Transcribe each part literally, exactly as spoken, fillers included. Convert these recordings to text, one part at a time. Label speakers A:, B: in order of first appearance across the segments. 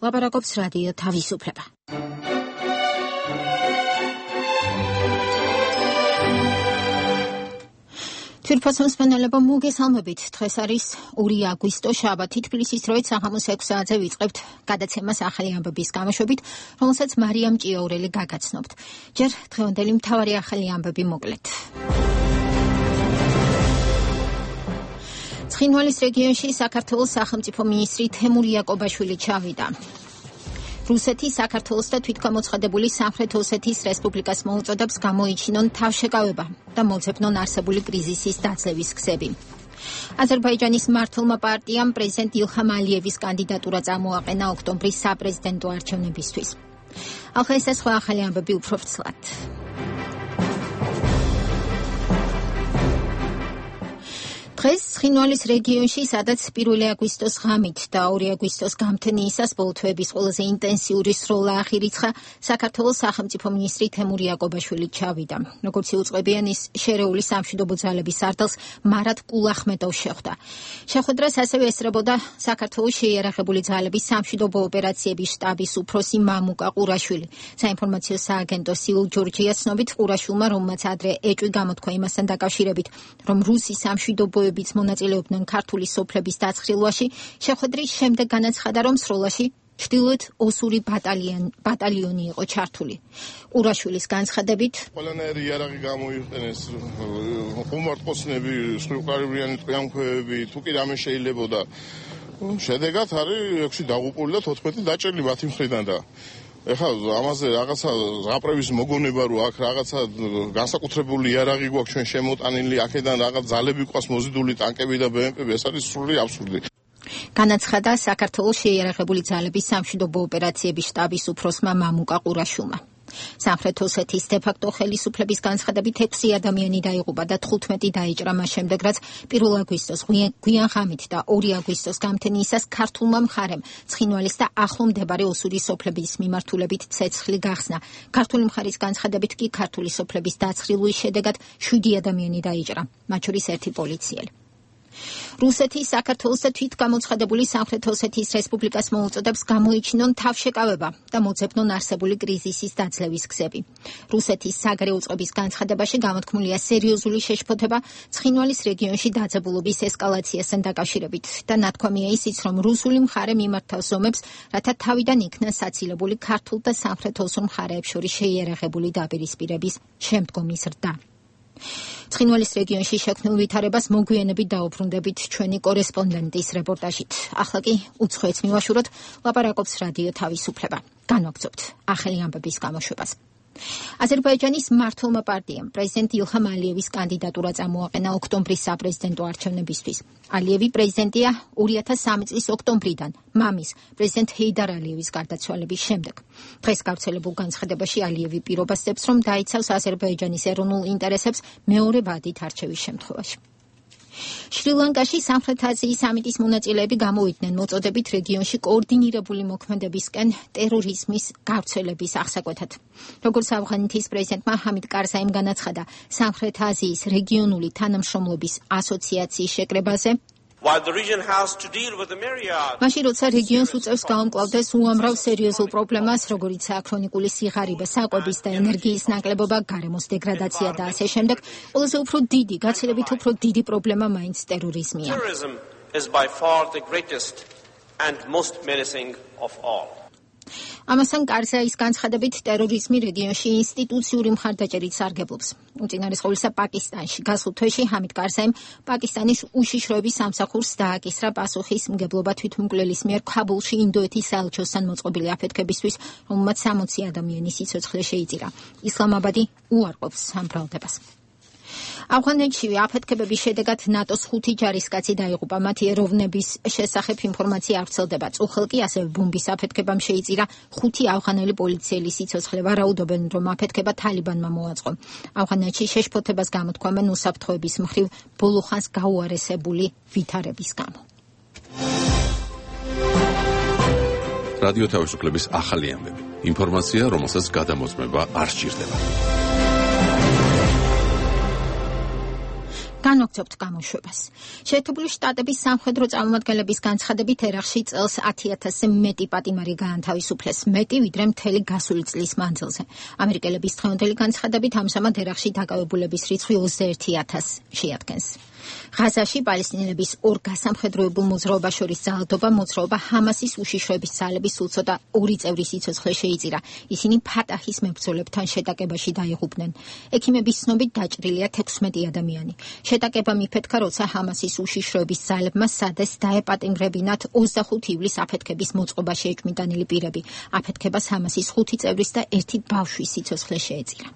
A: ლაპარაკობს რადიო თავისუფლება. თვითფასოს მენელებო მოგესალმებით. დღეს არის ორი აგვისტო, შაბათი. თბილისის დროით საღამოს ექვსი საათზე ვიწყებთ გადაცემას ახალი ამბების გამოშვებით, რომელსაც მარიამ ჭიაურელი გაგაცნობთ. ჯერ დღევანდელი მთავარი ახალი ამბები მოკლედ. ცხინვალის რეგიონში საქართველოს სახელმწიფო მინისტრი თემურ იაკობაშვილი ჩავიდა. რუსეთი საქართველოს და თვითგამოცხადებული სამხრეთ ოსეთის რესპუბლიკას მოუწოდებს გამოიჩინონ თავშეკავება და მოძებნონ არსებული კრიზისის დაძლევის გზები. აზერბაიჯანის მმართველმა პარტიამ პრეზიდენტ ილჰამ ალიევის კანდიდატურა წამოაყენა ოქტომბრის საპრეზიდენტო არჩევნებისთვის. ახლა ეს სხვა ახალი ამბები უფრო ვრცლად. დღეს ცხინვალის რეგიონში, სადაც პირველი აგვისტოს ღამით და ორი აგვისტოს გამთენიისას ბოლო თვეების ყველაზე ინტენსიური სროლა აღირიცხა, საქართველოს სახელმწიფო მინისტრი თემურ იაკობაშვილი ჩავიდა. როგორც იუწყებიან, ის შერეული სამშვიდობო ძალების სარდალს მარად კულახმედოვ შეხვდა. შეხვედრას ასევე ესწრებოდა საქართველოს შეიარაღებული ძალების სამშვიდობო ოპერაციების შტაბის უფროსი მამუკა ყურაშვილი. საინფორმაციო სააგენტო სიულ ჯორჯიას ცნობით, ყურაშვილმა, რომელმაც ადრე ეჭვი გამოთქვა იმასთან დაკავშირებით, რომ რუსი სამშვიდობო ბიც მონაწილეობდნენ ქართული სოფლების დაცხრილვაში, შეხვედრის შემდეგ განაცხადა, რომ სროლაში ჩრდილოეთ ოსური ბატალიონი იყო ჩართული. ყურაშვილის განცხადებით,
B: ყველანაირი იარაღი გამოიყენეს, ხუმარტყოსნები, სრულყარებიანი ტყვიამქვევები, თუ კი რამე შეიძლებოდა. შედეგად არის ექვსი დაღუპული და თოთხმეტი დაჭრილი მათი მხრიდან და ეხლა ამაზე რაღაცა ზღაპრების მოგონება რომ აქ რაღაცა განსაკუთრებული იარაღი გვაქვს ჩვენ შემოტანილი, აქედან რაღაც ძალები ყავს მოზიდული ტანკები და ბემპები, ეს არის სრული აბსურდი. განაცხადა საქართველოს შეიარაღებული ძალების სამშვიდობო ოპერაციების შტაბის უფროსმა მამუკა ყურაშვილმა. სამხრეთ ოსეთის დე-ფაქტო ხელისუფლების განცხადებით ექვსი ადამიანი დაიღუპა და თხუთმეტი დაიჭრა მას შემდეგ, რაც პირველ აგვისტოს გვიან ღამით და ორი აგვისტოს გამთენიისას ქართულმა მხარემ ცხინვალის და ახლო მდებარე ოსური სოფლების მიმართულებით ცეცხლი გახსნა. ქართული მხარის განცხადებით კი ქართული სოფლების დაცხრილვის შედეგად შვიდი ადამიანი დაიჭრა, მათ შორის ერთი პოლიციელი. რუსეთი საქართველოს და თვითგამოცხადებული სამხრეთ ოსეთის რესპუბლიკას მოუწოდებს გამოიჩინონ თავშეკავება და მოძებნონ არსებული კრიზისის დაძლევის გზები. რუსეთის საგარეო წყობის განცხადებაში გამოთქმულია სერიოზული შეშფოთება ცხინვალის რეგიონში დაძაბულობის ესკალაციასთან დაკავშირებით და ნათქვამია ისიც, რომ რუსული მხარე მიმართავს ზომებს, რათა თავიდან იქნა საცილებული ქართულ და სამხრეთ ოსურ მხარეებს შორის შეიარაღებული დაპირისპირების შემდგომი ზრდა. ცხინვალის რეგიონში შექმნილ ვითარებას მოგვიანებით დაუბრუნდებით ჩვენი კორესპონდენტის რეპორტაჟით. ახლა კი უცხოეთს მივაშუროთ, ლაპარაკობს რადიო თავისუფლება. განვაგრძობთ ახალი ამბების გამოშვებას. აზერბაიჯანის მმართველმა პარტიამ პრეზიდენტ ილჰამ ალიევის კანდიდატურა წამოაყენა ოქტომბრის საპრეზიდენტო არჩევნებისთვის. ალიევი პრეზიდენტია ორი ათას სამი წლის ოქტომბრიდან, მამის, პრეზიდენტ ჰეიდარ ალიევის გარდაცვალების შემდეგ. დღეს გავრცელებულ განცხადებაში ალიევი პირობასდებს, რომ დაიცავს აზერბაიჯანის ეროვნულ ინტერესებს მეორე ვადით არჩევის შემთხვევაში. შრი-ლანკაში სამხრეთ აზიის სამიტის მონაწილეები გამოვიდნენ მოწოდებით რეგიონში კოორდინირებული მოქმედებისკენ ტერორიზმის გავრცელების აღსაკვეთად. როგორც ავღანეთის პრეზიდენტმა ჰამიდ კარზაიმ განაცხადა სამხრეთ აზიის რეგიონული თანამშრომლობის ასოციაციის შეკრებაზე, მაშინ როცა რეგიონს უწევს გაუმკლავდეს უამრავ სერიოზულ პრობლემას, როგორიცაა ქრონიკული სიღარიბე, საკვების და ენერგიის ნაკლებობა, გარემოს დეგრადაცია და ასე შემდეგ, ყველაზე უფრო დიდი, გაცილებით უფრო დიდი პრობლემა მაინც ტერორიზმია. ამასთან კარზაის განცხადებით ტერორიზმი რეგიონში ინსტიტუციური მხარდაჭერით სარგებლობს. უწინარესყოლისა პაკისტანში გასულ თვეში ჰამიდ კარზაიმ პაკისტანის უშიშროების სამსახურს დააკისრა პასუხის მგებლობა თვითმკვლელის მიერ ქაბულში ინდოეთის საელჩოსთან მოწყობილი აფეთქებისთვის, რომელმაც სამოცი ადამიანის სიცოცხლე შეიწირა. ისლამაბადი უარყოფს ამ ბრალდებას. ავღანეთში აფეთქებების შედეგად ნატოს ხუთი ჯარისკაცი დაიღუპა. მათი ეროვნების შესახებ ინფორმაცია არ ვრცელდება. წუხელ კი ასევე ბომბის აფეთქებამ შეიწირა ხუთი ავღანელი პოლიციელის სიცოცხლე. ვარაუდობენ, რომ აფეთქება თალიბანმა მოაწყო. ავღანეთში შეშფოთებას გამოთქვამენ უსაფრთხოების მხრივ ბოლო ხანს გაუარესებული ვითარების გამო.
C: რადიო თავისუფლების ახალი ამბები. ინფორმაცია, რომელსაც გადამოწმება არ სჭირდება.
A: განვაგრძობთ გამოშვებას. შეერთებული შტატების სამხედრო წარმომადგენლების განცხადებით ერაყში წელს ათი ათასზე მეტი პატიმარი გაანთავისუფლეს, მეტი ვიდრე მთელი გასული წლის მანძილზე. ამერიკელების დღევანდელი განცხადებით ამჟამად ერაყში დაკავებულების რიცხვი ოცდაერთი ათასს შეადგენს. ღაზაში პალესტინელების ორ გასამხედროებულ მოძრაობას შორის ძალადობა მოძრაობა ჰამასის უშიშროების ძალების სულ ცოტა ორი წევრი სიცოცხლე შეიწირა. ისინი ფატაჰის მებრძოლებთან შეტაკებაში დაიღუპნენ. ექიმების ცნობით დაჭრილია თექვსმეტი ადამიანი. შეტაკება მიფეთქა, როცა ჰამასის უშიშროების ძალებმა სადეს დაეპატიმრებინათ ოცდახუთი ივლისს აფეთქების მოწყობაში ეჭვმიტანილი პირები. აფეთქებას ჰამასის ხუთი წევრის და ერთი ბავშვის სიცოცხლე შეეწირა.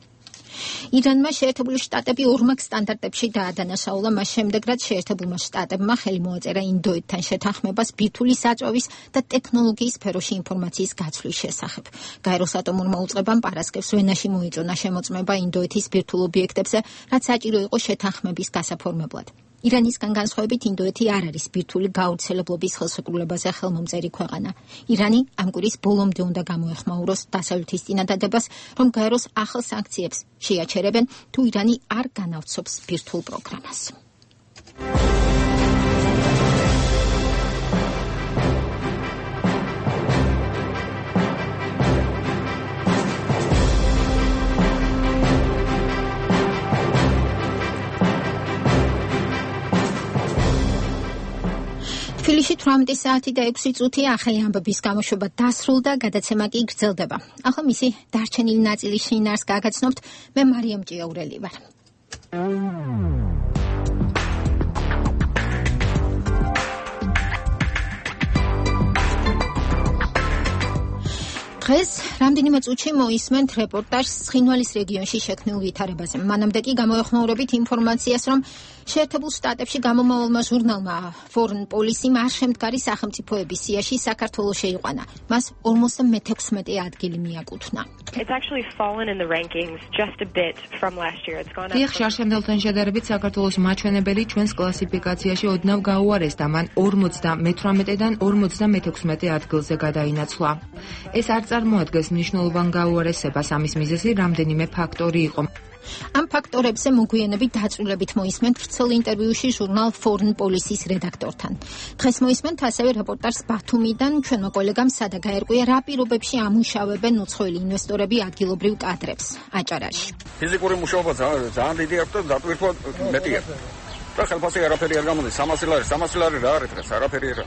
A: ირანმა შეერთებული შტატები ორმაგ სტანდარტებში დაადანაშაულა მას შემდეგ, რაც შეერთებულმა შტატებმა ხელი მოაწერა ინდოეთთან შეთანხმებას ბირთვული საწვავის და ტექნოლოგიის სფეროში ინფორმაციის გაცვლის შესახებ. გაეროს ატომურმა უწყებამ პარასკევს ვენაში მოიწონა შემოწმება ინდოეთის ბირთვულ ობიექტებზე, რაც საჭირო იყო შეთანხმების გასაფორმებლად. ირანისგან განსხვავებით ინდოეთი არ არის ბირთვული გავრცელებლობის ხელშეკრულებაზე ხელმომწერი ქვეყანა. ირანი ამ კვირის ბოლომდე უნდა გამოეხმაუროს დასავლეთის წინადადებას, რომ გაეროს ახალ სანქციებს შეაჩერებენ, თუ ირანი არ განავრცობს ბირთვულ პროგრამას. თბილისში თვრამეტი საათი და ექვსი წუთია, ახალი ამბების გამოშვება დასრულდა, გადაცემა კი გრძელდება. ახლა მისი დარჩენილი ნაწილი შინაარს გაგაცნობთ, მე მარიამ ჭიაურელი ვარ. დღეს რამდენიმე წუთში მოისმენთ რეპორტაჟს ცხინვალის რეგიონში შექმნილ ვითარებაზე. მანამდე კი გამოეხმაურებით ინფორმაციას, რომ შეერთებულ შტატებში გამომავალმა ჟურნალმა Foreign Policy-მ არ შემდგარი სახელმწიფოების სიაში საქართველოს შეიყვანა. მას ორმოცდამეთექვსმეტე ადგილი მიაკუთვნა.
D: It's actually fallen in the rankings just a bit from last year. It's gone up.
E: დიახ, შარშემდელთან შედარებით საქართველოს მაჩვენებელი ჩვენს კლასიფიკაციაში ოდნავ გაუარეს და მან ორმოცდამეთვრამეტედან ორმოცდამეთექვსმეტე ადგილზე გადაინაცვლა. ეს არ წარმოადგენს მნიშვნელოვან გაუარესებას, ამის მიზეზი რამდენიმე ფაქტორი იყო.
A: ამ ფაქტორებზე მოგვიანებით დაწვრილებით მოისმენთ ვრცელ ინტერვიუში ჟურნალ Foreign Policy-ს რედაქტორთან. დღეს მოისმენთ ასევე რეპორტაჟს ბათუმიდან ჩვენმა კოლეგამ სადა გაერკვია, რა პირობებში ამუშავებენ უცხოელი ინვესტორები ადგილობრივ კადრებს აჭარაში.
F: ფიზიკური მუშაობა ძალიან დიდი აქვს და დატვირთვა მეტი აქვს. და ხელფასი არაფერი არ გამოდის, სამასი ლარი, სამასი ლარი რა არის დღეს, არაფერი არა.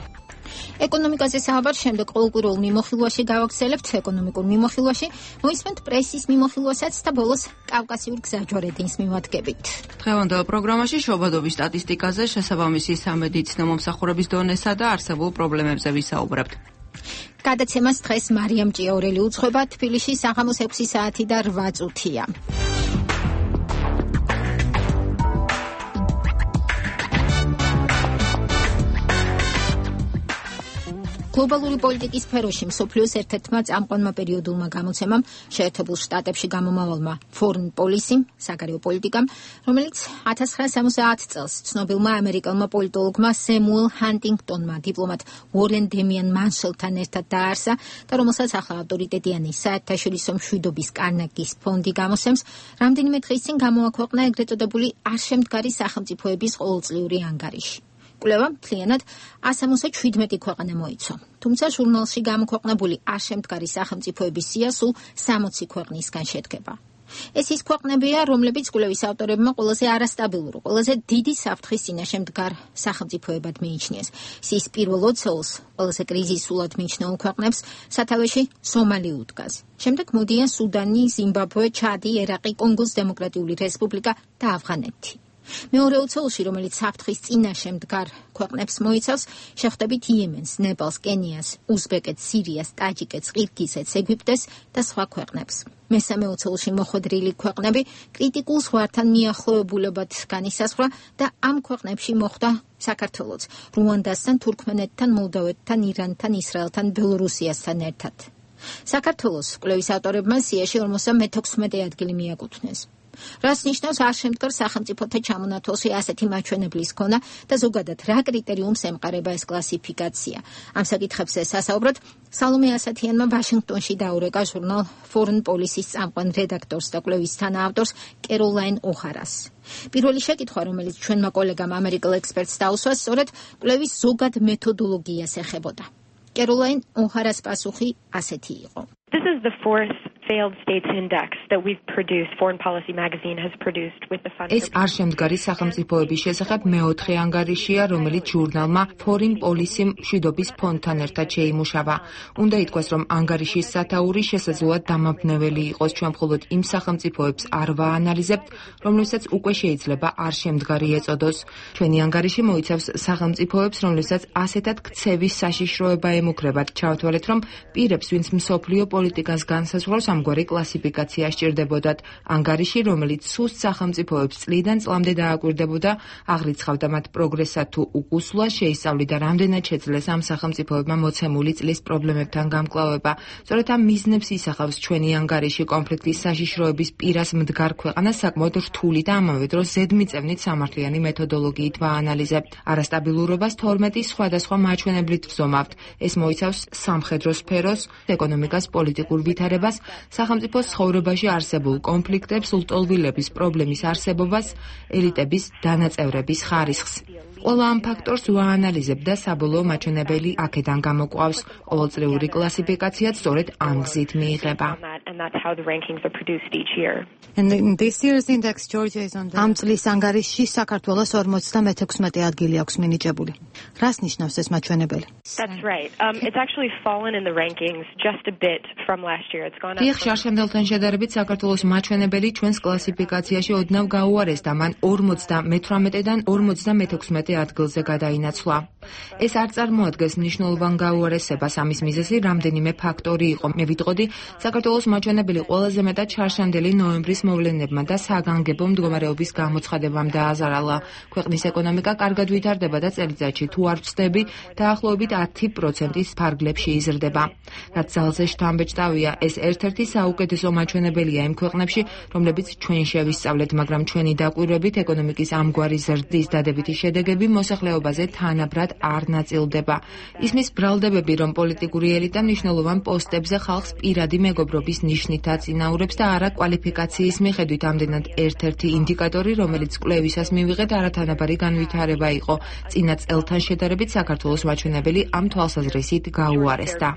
A: ეკონომიკაზე საუბარს შემდეგ ყოველკვირეულ მიმოხილვაში გავაგრძელებთ, ეკონომიკურ მიმოხილვაში მოისმენთ პრესის მიმოხილვასაც და ბოლოს კავკასიურ გზაჯვარედინს მივადგებით.
E: დღევანდელ პროგრამაში შობადობის სტატისტიკაზე, შესაბამისი სამედიცინო მომსახურების დონესა და არსებულ პრობლემებზე ვისაუბრებთ.
A: გადაცემას დღეს მარიამ ჭიაურელი უძღვება, თბილისში საღამოს ექვსი საათი და რვა წუთია. გლობალური პოლიტიკის სფეროში მსოფლიოს ერთ-ერთმა წამყვანმა პერიოდულმა გამოცემამ შეერთებულ შტატებში გამომავალმა Foreign Policy-მ, საგარეო პოლიტიკამ, რომელიც ათას ცხრაასი სამოცდაათი წელს ცნობილმა ამერიკელმა პოლიტოლოგმა სემუელ ჰანტინგტონმა დიპლომატ უორენ დემიან მანშელთან ერთად დააარსა და რომელსაც ახლა ავტორიტეტიანი საერთაშორისო მშვიდობის კარნეგის ფონდი გამოსცემს, რამდენიმე დღის წინ გამოაქვეყნა ეგრეთ წოდებული არ შემდგარი სახელმწიფოების ყოველწლიური ანგარიში. კვლევა მთლიანად ასამოცდაშვიდმეტი ქვეყანა მოიცვა. თუმცა ჟურნალში გამოქვეყნებული არ შემდგარი სახელმწიფოების სია სულ სამოცი ქვეყნისგან შედგება. ეს ის ქვეყნებია, რომლებიც კვლევის ავტორებმა ყველაზე არასტაბილურ, ყველაზე დიდი საფრთხის წინაშე მდგარ სახელმწიფოებად მიიჩნიეს. სიის პირველ ოცეულს ყველაზე კრიზისულად მიჩნეულ ქვეყნებს სათავეში სომალი უდგას. შემდეგ მოდიან სუდანი, ზიმბაბვე, ჩადი, ერაყი, კონგოს დემოკრატიული რესპუბლიკა და ავღანეთი. მეორე ოცეულში, რომელიც საფრთხის წინაშე მდგარ ქვეყნებს მოიცავს, შეხვდებით იემენს, ნეპალს, კენიას, უზბეკეთს, სირიას, ტაჯიკეთს, ყირგიზეთს, ეგვიპტეს და სხვა ქვეყნებს. მესამე ოცეულში მოხვედრილი ქვეყნები კრიტიკულ ზღვართან მიახლოებულებად განისაზღვრა და ამ ქვეყნებში მოხვდა საქართველოც, რუანდასთან, თურქმენეთთან, მოლდოვეთთან, ირანთან, ისრაელთან, ბელორუსიასთან ერთად. საქართველოს კვლევის ავტორებმა სიაში ორმოცდამეთექვსმეტე ადგილი მიაკუთვნეს. რას ნიშნავს არ შემდგარ სახელმწიფოთა ჩამონათვალში ასეთი მაჩვენებლის ქონა და ზოგადად რა კრიტერიუმს ემყარება ეს კლასიფიკაცია. ამ საკითხებზე სასაუბრად სალომე ასათიანმა ვაშინგტონში დაურეკა ჟურნალ Foreign Policy-ის წამყვან რედაქტორს და კვლევის თანაავტორს კეროლაინ ოჰარას. პირველი შეკითხვა, რომელიც ჩვენმა კოლეგამ ამერიკელ ექსპერტს დაუსვა, სწორედ კვლევის ზოგად მეთოდოლოგიას ეხებოდა. კეროლაინ ოჰარას პასუხი ასეთი იყო.
D: This is the fourth failed states index that we've produced. Foreign Policy magazine has produced with the fund.
E: ეს არ შემდგარი სახელმწიფოების შესახებ მეოთხე ანგარიშია, რომელიც ჟურნალმა Foreign Policy მშვიდობის ფონდთან ერთად შეიმუშავა. უნდა ითქვას, რომ ანგარიშის სათაური შესაძლოა დამაბნეველი იყოს, ჩვენ მხოლოდ იმ სახელმწიფოებს არ ვაანალიზებთ, რომლებსაც უკვე შეიძლება არ შემდგარი ეწოდოს. ჩვენი ანგარიში მოიცავს სახელმწიფოებს, რომლებსაც ასეთად ქცევის საშიშროება ემუქრებათ. ჩავთვალეთ, რომ პირებს, ვინც მსოფლიო პოლიტიკას განსაზღვრავს, ამგვარი კლასიფიკაცია სჭირდებოდათ. ანგარიში, რომელიც სუსტ სახელმწიფოებს წლიდან წლამდე დააკვირდებოდა, აღრიცხავდა მათ პროგრესსა თუ უკუსლვას, შეისწავლიდა რამდენად შეძლეს ამ სახელმწიფოებმა მოცემული წლის პრობლემებთან გამკლავება. სწორედ ამ მიზნებს ისახავს ჩვენი ანგარიში. კონფლიქტის საშიშროების პირას მდგარ ქვეყანას საკმაოდ რთული და ამავე დროს ზედმიწევნით სამართლიანი მეთოდოლოგიით ვაანალიზებთ. არასტაბილურობას თორმეტი სხვადასხვა მაჩვენებლით ვზომავთ. ეს მოიცავს სამხედრო სფეროს, ეკონომიკას, პოლიტიკურ ვითარებას, სახელმწიფოს ცხოვრებაში არსებულ კონფლიქტებს, ლტოლვილების პრობლემის არსებობას, ელიტების დანაწევრების ხარისხს. ყველა ამ ფაქტორს ვაანალიზებთ და საბოლოო მაჩვენებელი აქედან გამოკვავს. ყოველწლიური კლასიფიკაციაც სწორედ ამ გზით მიიღება.
G: ამ წლის ანგარიშში საქართველოს ორმოცდამეექვსმეტე ადგილი აქვს მინიჭებული. რას ნიშნავს ეს მაჩვენებელი?
D: That's right. Um, it's actually fallen in the rankings just a bit from last year. It's gone up.
E: დიახ, შარშემდელთან შედარებით საქართველოს მაჩვენებელი ჩვენს კლასიფიკაციაში ოდნავ გაუარეს და მან ორმოცდამეთვრამეტედან ორმოცდამეექვსმეტე ადგილზე გადაინაცვლა. ეს არ წარმოადგენს მნიშვნელოვან გაუარესებას, ამის მიზეზი რამდენიმე ფაქტორი იყო. მე ვიტყოდი, საქართველოს მაჩვენებელი ყველაზე მეტად შარშანდელი ნოემბრის მოვლენებმა და საგანგებო მდგომარეობის გამოცხადებამ დააზარალა. ქვეყნის ეკონომიკა კარგად ვითარდება და წელიწადში თუ არ ვწდები, დაახლოებით ათი პროცენტის ფარგლებში იზრდება. რაც ძალზე შთამბეჭდავია, ეს ერთ-ერთი საუკეთესო მაჩვენებელია იმ ქვეყნებში, რომლებიც ჩვენ შევისწავლეთ, მაგრამ ჩვენი დაკვირვებით ეკონომიკის ამგვარი ზრდის დადებითი შედეგები მოსახლეობაზე თანაბრად არ ნაწილდება. ისმის ბრალდებები, რომ პოლიტიკური ელიტა მნიშვნელოვან პოსტებზე ხალხს პირადი მეგობრობის ნიშნით აწინაურებს და არა კვალიფიკაციის მიხედვით. ამდენად ერთ-ერთი ინდიკატორი, რომელიც კვლევისას მივიღეთ, არათანაბარი განვითარება იყო. წინა წელთან შედარებით საქართველოს მაჩვენებელი ამ თვალსაზრისით გაუარესდა.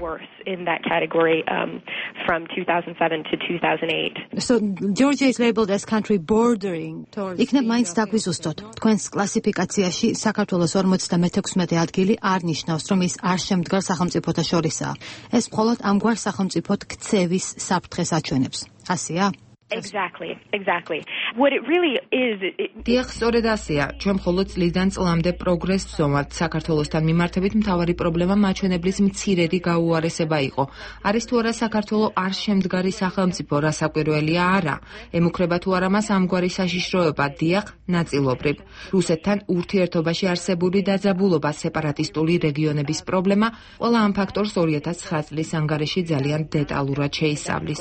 D: In that category um, from two thousand seven to two thousand eight.
G: So Georgia is labeled as country bordering towards. იქნებ მაინც დაგვიზუსტოთ. თქვენს კლასიფიკაციაში საქართველოს ორმოცდამეექვსმეტე ადგილი არ ნიშნავს, რომ ის არ შემდგარ სახელმწიფოთა შორისაა. ეს მხოლოდ ამგვარ სახელმწიფოდ ქცევის საფრთხეს აჩვენებს. ასეა?
D: Exactly, exactly. What it really is it,
E: დიახ, სწორედ ასეა. ჩვენ მხოლოდ წლიდან წლამდე პროგრესს ვზომავთ. საქართველოსთან მიმართებით მთავარი პრობლემა მაჩვენებლის მცირედი გაუარესება იყო. არის თუ არა საქართველო არ შემდგარი სახელმწიფო, რასაკვირველია არა. ემუქრება თუ არა მას ამგვარი საშიშროება? დიახ, ნაწილობრივ. რუსეთთან ურთიერთობაში არსებული დაძაბულობა, სეპარატისტული რეგიონების პრობლემა, ყველა ამ ფაქტორს ორი ათას ცხრა წლის ანგარიში ძალიან დეტალურად შეისწავლის.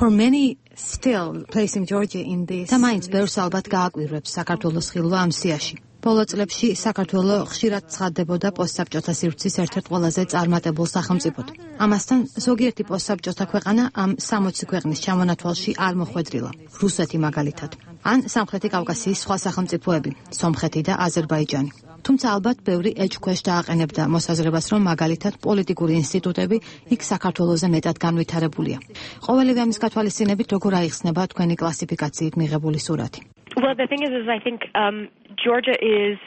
G: For many still placing Georgia in this. და მაინც ბევრს ალბათ გააკვირვებს საქართველოს ხილვა ამ სიაში. ბოლო წლებში საქართველო ხშირად ცხადდებოდა პოსტსაბჭოთა სივრცის ერთ-ერთ ყველაზე წარმატებულ სახელმწიფოდ. ამასთან ზოგიერთი პოსტსაბჭოთა ქვეყანა ამ სამოცი ქვეყნის ჩამონათვალში არ მოხვედრილა. რუსეთი მაგალითად. ან სამხრეთი კავკასიის სხვა სახელმწიფოები, სომხეთი და აზერბაიჯანი. თუმცა ალბათ ბევრი ეჭქვეშ დააყენებდა მოსაზრებას, რომ მაგალითად პოლიტიკური ინსტიტუტები იქ საქართველოზე მეტად განვითარებულია. ყოველივე ამის გათვალისწინებით როგორ აიხსნება თქვენი კლასიფიკაციით მიღებული სურათი?
D: Well, the thing is, is I think um, Georgia is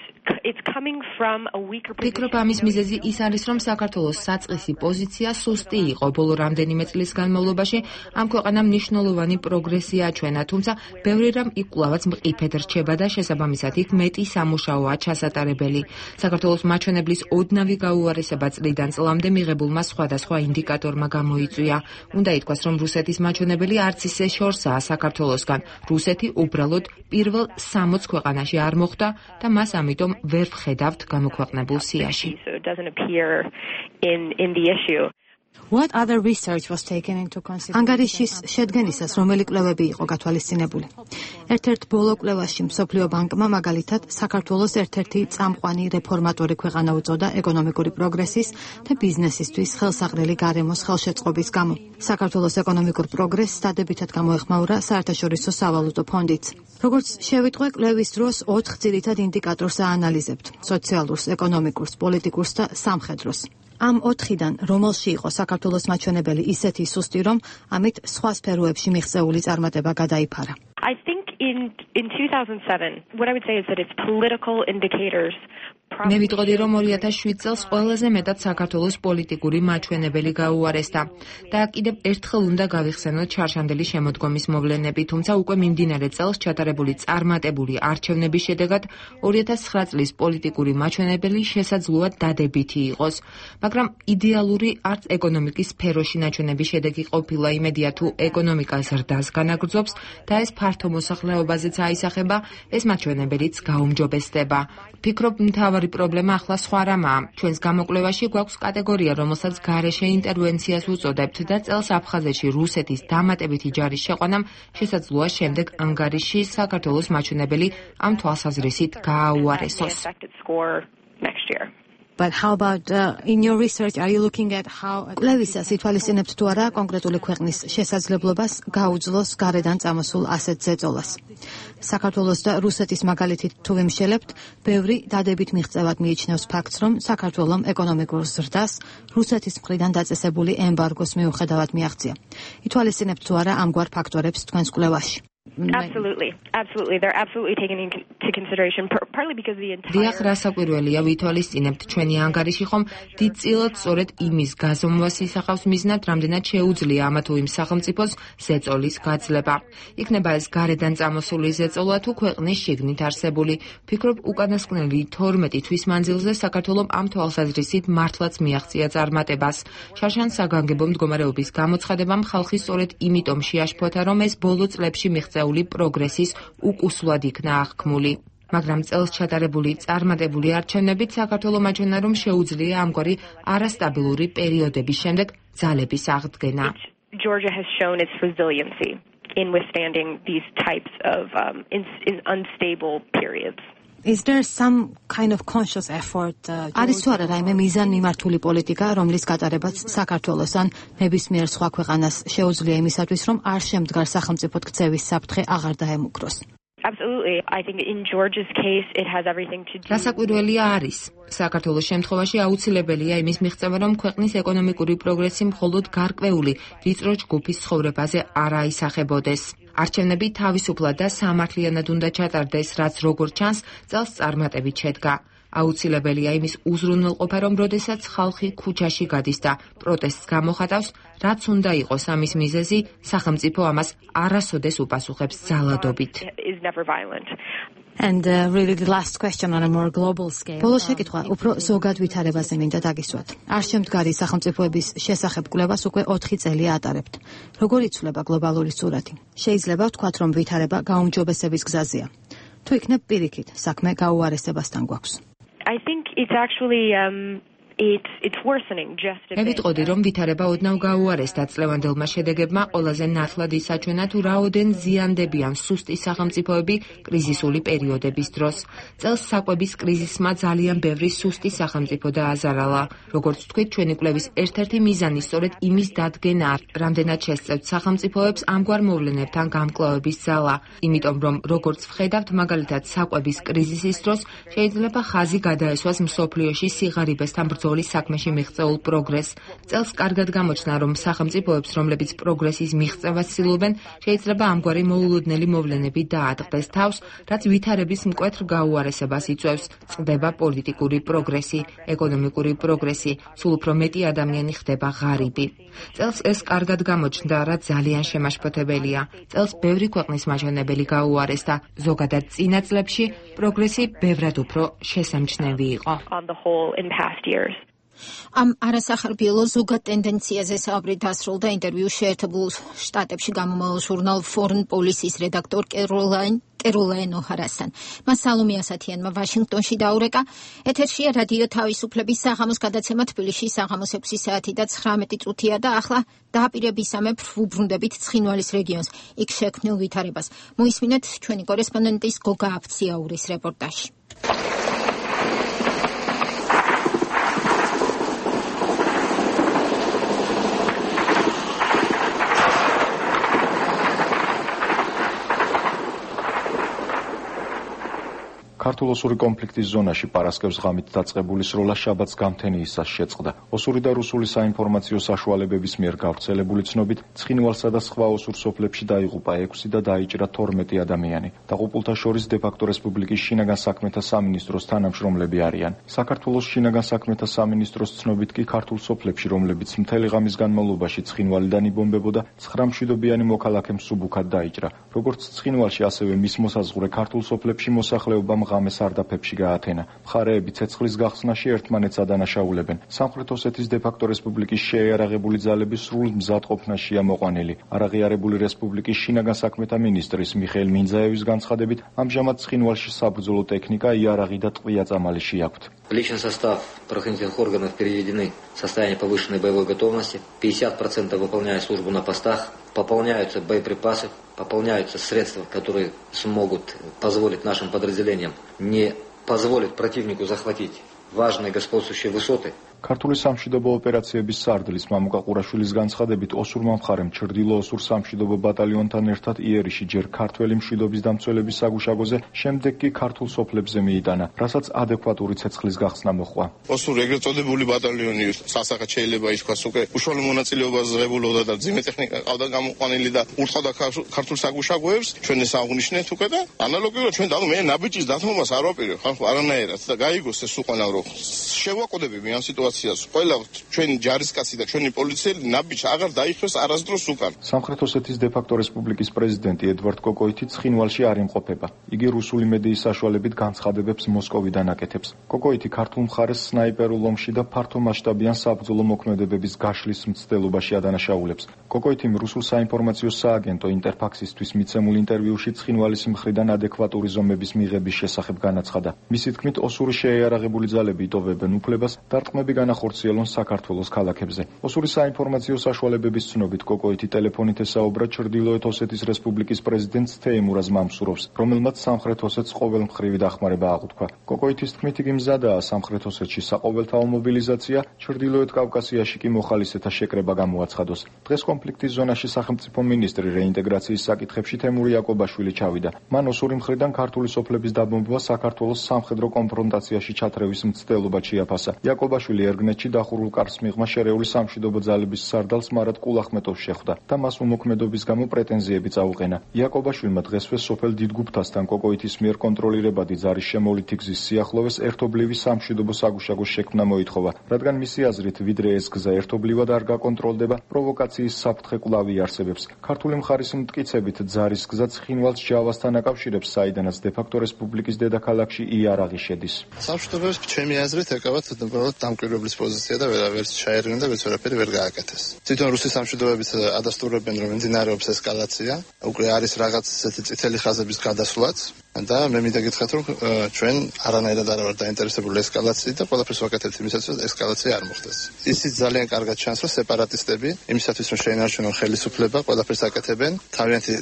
D: it's coming from a weaker position.
E: ფიქრობ ამის მიზეზი ის არის, რომ საქართველოს საწყისი პოზიცია სუსტი იყო. ბოლო რამდენიმე წლის განმავლობაში ამ ქვეყანამ მნიშვნელოვანი პროგრესი აჩვენა, თუმცა ბევრი რამ იკვლავაც მყიფედ რჩება და შესაბამისად იქ მეტი სამუშაოა ჩასატარებელი. საქართველოს მაჩვენებლის ოდნავი გაუარესება წლიდან წლამდე მიღებულმა სხვადასხვა ინდიკატორმა გამოიწვია. უნდა ითქვას, რომ რუსეთის მაჩვენებელი არც ისე შორსაა საქართველოსგან. რუსეთი უბრალოდ პირველ სამოც ქვეყანაში არ მოხვდა და მას ამიტომ ვერ ვხედავთ გამოქვეყნებულ სიაში.
G: What other research was taken into consideration? ანგარიშის შედგენისას რომელი კვლევები იყო გათვალისწინებული? ერთ-ერთ ბოლო კვლევაში მსოფლიო ბანკმა მაგალითად საქართველოს ერთ-ერთი წამყვანი რეფორმატორი ქვეყანა უწოდა ეკონომიკური პროგრესის და ბიზნესისთვის ხელსაყრელი გარემოს ხელშეწყობის გამო. საქართველოს ეკონომიკურ პროგრესს დადებითად გამოეხმაურა საერთაშორისო სავალუტო ფონდიც. როგორც შევიტყვე, კვლევის დროს ოთხ ძირითად ინდიკატორს აანალიზებთ: სოციალურს, ეკონომიკურს, პოლიტიკურს და სამხედროს. ამ ოთხიდან რომელში იყო საქართველოს მაჩვენებელი ისეთი სუსტი, რომ ამით სხვა სფეროებში მიღწეული წარმატება გადაიფარა?
D: I think in in two thousand seven, what I would say is that it's political indicators.
E: მე ვიტყოდი, რომ ორი ათას შვიდ წელს ყველაზე მეტად საქართველოს პოლიტიკური მაჩვენებელი გაუარესდა და კიდევ ერთხელ უნდა გავიხსენოთ ჩარშანდელი შემოდგომის მოვლენები, თუმცა უკვე მიმდინარე წელს ჩატარებული წარმატებული არჩევნების შედეგად ორი ათას ცხრა წლის პოლიტიკური მაჩვენებელი შესაძლოა დადებითი იყოს, მაგრამ იდეალური არც ეკონომიკის სფეროში ნაჩვენების შედეგი ყოფილა. იმედია, თუ ეკონომიკა ზრდას განაგრძობს და ეს ფართო მოსახლეობაზეც აისახება, ეს მაჩვენებელიც გაუმჯობესდება. ფიქრობ, მთავარი პრობლემა ახლა სხვა რამაა. ჩვენს გამოკვლევაში გვაქვს კატეგორია, რომელსაც გარეშე ინტერვენციას უწოდებთ და წელს აფხაზეთში რუსეთის დამატებითი ჯარის შეყვანამ შესაძლოა შემდეგ ანგარიში საქართველოს მაჩვენებელი ამ თვალსაზრისით გააუარესოს.
G: But how about uh, in your research are you looking at how კვლევისას ითვალისწინებთ თუ არა კონკრეტული ქვეყნის შესაძლებლობას გაუძლოს გარედან წამოსულ ასეთ ზეწოლას? საქართველოს და რუსეთის მაგალითით თუ ვიმშელებთ, ბევრი დადებით მიღწევად მიიჩნევს ფაქტს, რომ საქართველომ ეკონომიკურ ზრდას რუსეთის მხრიდან დაწესებული ემბარგოს მიუხედავად მიაღწია. ითვალისწინებთ თუ არა ამგვარ ფაქტორებს თქვენს კვლევაში?
D: Absolutely, absolutely. They're absolutely taken into consideration, partly because the entire.
E: დიახ, რასაკვირველია, ვითვალისწინებთ ჩვენი ანგარიში ხომ დიდწილად სწორედ იმის გაზომვას ისახავს მიზნად, რამდენად შეუძლია ამა თუ იმ სახელმწიფოს ზეწოლის გაძლება. იქნება ეს გარედან წამოსული ზეწოლა თუ ქვეყნის შიგნით არსებული. ფიქრობ, უკანასკნელი თორმეტი თვის მანძილზე საქართველოს ამ თვალსაზრისით მართლაც მიაღწია წარმატებას. შარშან საგანგებო მდგომარეობის გამოცხადებამ ხალხი სწორედ იმიტომ შეაშფოთა, რომ ეს ბოლო წლებში მიღწევა პროგრესის უკუსლად იქნა აღქმული. მაგრამ წელს ჩატარებული წარმატებული არჩევნებით საქართველოს მაჩვენა, რომ შეუძლია ამგვარი არასტაბილური პერიოდების შემდეგ ძალების აღდგენა.
D: Georgia has shown its resiliency in withstanding these types of um, in, in unstable periods.
G: Is there some kind of conscious effort? არის თუ არა რაიმე მიზანმიმართული პოლიტიკა, რომლის გატარებაც საქართველოს ან ნებისმიერ სხვა ქვეყანას შეუძლია იმისათვის, რომ არ შემდგარ სახელმწიფოდ ქცევის საფრთხე აღარ დაემუქროს?
D: Absolutely. I think in Georgia's case it has everything to do.
E: რასაკვირველია არის. საქართველოს შემთხვევაში აუცილებელია იმის მიღწევა, რომ ქვეყნის ეკონომიკური პროგრესი მხოლოდ გარკვეული ვიწრო ჯგუფის ცხოვრებაზე არ აისახებოდეს. არჩევნები თავისუფლად და სამართლიანად უნდა ჩატარდეს, რაც როგორც ჩანს, წელს წარმატებით შედგა. აუცილებელია იმის უზრუნველყოფა, რომ როდესაც ხალხი ქუჩაში გადის და პროტესტს გამოხატავს, რაც უნდა იყოს ამის მიზეზი, სახელმწიფო ამას არასოდეს უპასუხებს ძალადობით.
G: And uh, really the last question on a more global scale. ბოლო შეკითხვა უფრო ზოგად ვითარებაზე მინდა დაგისვათ. არ შემდგარი სახელმწიფოების შესახებ კვლევას უკვე ოთხი წელი ატარებთ. როგორ იცვლება გლობალური სურათი? შეიძლება ვთქვათ, რომ ვითარება გაუმჯობესების გზაზეა. თუ იქნებ პირიქით, საქმე გაუარესებასთან გვაქვს.
D: I think it's actually um It's it's worsening just a bit.
E: მე ვიტყოდი, რომ ვითარება ოდნავ გაუარესდა წლევანდელმა შედეგებმა ყველაზე ნათლად ისაჩვენა, თუ რაოდენ ზიანდებიან სუსტი სახელმწიფოები კრიზისული პერიოდების დროს. წელს საკვების კრიზისმა ძალიან ბევრი სუსტი სახელმწიფო დააზარალა. როგორც თქვით, ჩვენი კვლევის ერთ-ერთი მიზანი სწორედ იმის დადგენაა, რამდენად შესწევთ სახელმწიფოებს ამგვარ მოვლენებთან გამკლავების ძალა. იმიტომ რომ როგორც ვხედავთ, მაგალითად საკვების კრიზისის დროს შეიძლება ხაზი გადაესვას მსოფლიოში სიღარიბესთან ბრძოლის საქმეში მიღწეულ პროგრესს. წელს კარგად გამოჩნდა, რომ სახელმწიფოებს, რომლებიც პროგრესის მიღწევას ცდილობენ, შეიძლება ამგვარი მოულოდნელი მოვლენები დაატყდეს თავს, რაც ვითარების მკვეთრ გაუარესებას იწვევს. წყდება პოლიტიკური პროგრესი, ეკონომიკური პროგრესი, სულ უფრო მეტი ადამიანი ხდება ღარიბი. წელს ეს კარგად გამოჩნდა, რაც ძალიან შემაშფოთებელია. წელს ბევრი ქვეყნის მაჩვენებელი გაუარესდა, ზოგადად წინა წლებში პროგრესი ბევრად უფრო შესამჩნევი იყო.
A: ამ არასახარბიელო ზოგად ტენდენციაზე საუბარი დასრულდა ინტერვიუ შეერთებულ შტატებში გამომავალ ჟურნალ Foreign Policy-ის რედაქტორ კეროლაინ მწეროლა ენო ჰარასთან. მას სალომე ასათიანმა ვაშინგტონში დაურეკა. ეთერშია რადიო თავისუფლების საღამოს გადაცემა თბილისში საღამოს ექვსი საათი და ცხრამეტი წუთია და ახლა დააპირებისამებრ ვუბრუნდებით ცხინვალის რეგიონს, იქ შექმნილ ვითარებას. მოისმინეთ ჩვენი კორესპონდენტის გოგა აფციაურის რეპორტაჟი.
H: ქართულ ოსური კონფლიქტის ზონაში პარასკევს ღამით დაწყებული სროლა შაბათს გამთენიისას შეწყდა. ოსური და რუსული საინფორმაციო საშუალებების მიერ გავრცელებული ცნობით, ცხინვალსა და სხვა ოსურ სოფლებში დაიღუპა ექვსი და დაიჭრა თორმეტი ადამიანი. დაღუპულთა შორის დე-ფაქტო რესპუბლიკის შინაგან საქმეთა სამინისტროს თანამშრომლები არიან. საქართველოს შინაგან საქმეთა სამინისტროს ცნობით კი ქართულ სოფლებში, რომლებიც მთელი ღამის განმავლობაში ცხინვალიდან იბომბებოდა, ცხრა მშვიდობიანი მოქალაქე მსუბუქად დაიჭრა. როგორც ცხინვალში, ასევე მის მოსაზღვრე ქართულ სოფლებში მოსახლეობამ ღამე სარდაფებში გაათენა. მხარეები ცეცხლის გახსნაში ერთმანეთს ადანაშაულებენ. სამხრეთ ოსეთის დე-ფაქტო რესპუბლიკის შეიარაღებული ძალები სრულ მზადყოფნაშია მოყვანილი. არაღიარებული რესპუბლიკის შინაგან საქმეთა მინისტრის მიხეილ მინძაევის განცხადებით, ამჟამად ცხინვალში საბრძოლო ტექნიკა, იარაღი და ტყვია-წამალი აქვთ.
I: Личный состав правоохранительных органов переведены в состояние повышенной боевой готовности. пятьдесят процентов выполняют службу на постах, пополняются боеприпасы, пополняются средства, которые смогут позволить нашим подразделениям не позволить противнику захватить важные господствующие высоты.
H: ქართული სამშვიდობო ოპერაციების სარდლის მამუკა ყურაშვილის განცხადებით, ოსურმა მხარემ ჩრდილო ოსურ სამშვიდობო ბატალიონთან ერთად იერიში ჯერ ქართველი მშვიდობის დამცველების საგუშაგოზე, შემდეგ კი ქართულ სოფლებზე მიიტანა, რასაც ადეკვატური ცეცხლის გახსნა მოჰყვა.
B: ოსური ეგრეთ წოდებული ბატალიონი სასახად შეიძლება ითქვას უკვე უშუალო მონაწილეობას ღებულობდა და ძიმე ტექნიკა ყავდა გამოყვანილი და ურთავდა ქართულ საგუშაგოებს, ჩვენ ეს აღვნიშნეთ უკვე და ანალოგიურად ჩვენ და მე ნაბიჯის დათმობას არ ვაპირებ ხალხო არანაირად და გაიგოს ეს უყანა რომ შევაყოდებები ამ სიტუაციას. ყველა ჩვენი ჯარისკაცი და ჩვენი პოლიციელი ნაბიჯს აღარ დაიხსოს არასდროს უკან.
H: სამხრეთ ოსეთის დე-ფაქტო რესპუბლიკის პრეზიდენტი ედვარდ კოკოიტი ცხინვალში არ იმყოფება. იგი რუსული მედიის საშუალებით განცხადებებს მოსკოვიდან აკეთებს. კოკოიტი ქართულ მხარეს სნაიპერულ ომში და ფართო მასშტაბიან საბრძოლო მოქმედებების გაშლის მცდელობაში ადანაშაულებს. კოკოიტიმ რუსულ საინფორმაციო სააგენტო ინტერფაქსისთვის მიცემულ ინტერვიუში ცხინვალის მხრიდან ადეკვატური ზომების მიღების შესახებ განაცხადა. მისი თქმით, ოსური შეიარაღებული ძალები იტოვებენ უფლებას დარტყმები განახორციელონ საქართველოს ქალაქებზე. ოსური საინფორმაციო საშუალებების ცნობით, კოკოიტი ტელეფონით ესაუბრა ჩრდილოეთ ოსეთის რესპუბლიკის პრეზიდენტს თეიმურაზ მამსუროვს, რომელმაც სამხრეთ ოსეთს ყოველმხრივი დახმარება აღუთქვა. კოკოიტის თქმით, იგი მზადაა სამხრეთ ოსეთში საყოველთაო მობილიზაცია, ჩრდილოეთ კავკასიაში კი მოხალისეთა შეკრება გამოაცხადოს. დღეს კონფლიქტის ზონაში სახელმწიფო მინისტრი რეინტეგრაციის საკითხებში თემური იაკობაშვილი ჩავიდა. მან ოსური მხრიდან ქართული სოფლების დაბომბვა საქართველოს სამხედრო კონფრონტაციაში ჩათრევის მცდელობა შეაფასა. იაკობაშვილი ერგნეთში დახურულ კარს მიღმა შერეული სამშვიდობო ძალების სარდალს მარად კულახმეტოვს შეხვდა და მას უმოქმედობის გამო პრეტენზიები წაუყენა. იაკობაშვილმა დღესვე სოფელ დიდგუფთასთან კოკოიტის მიერ კონტროლირებადი ძალის შემოვლითი გზის სიახლოვეს ერთობლივი სამშვიდობო საგუშაგოს შექმნა მოითხოვა, რადგან მისი აზრით, ვიდრე ეს გზა ერთობლივად არ გაკონტროლდება, პროვოკაციის საფრთხე კვლავ იარსებებს. ქართული მხარის მტკიცებით, ძალის გზა ცხინვალს ჯავასთან აკავშირებს, საიდანაც დე-ფაქტო რესპუბლიკის დედაქალაქში იარაღი შედის.
J: სამშვიდობოებს ჩვენი აზრით ეკავათ უბრალოდ დამკვირვებლის პოზიცია და ვერავერს ჩაერგნენ და ვერაფერი ვერ გააკეთეს. თვითონ რუსის სამშვიდობოებიც ადასტურებენ, რომ მიმდინარეობს ესკალაცია, უკვე არის რაღაც ესეთი წითელი ხაზების გადასვლაც და მე მინდა გითხრათ, რომ ჩვენ არანაირად არ ვართ დაინტერესებული ესკალაციით და ყველაფერს ვაკეთებთ იმისათვის, რომ ესკალაცია არ მოხდეს. ისიც ძალიან კარგად ჩანს, რომ სეპარატისტები იმისათვის, რომ შეინარჩუნონ ხელისუფლება, ყველაფერს აკეთებენ, თავიანთი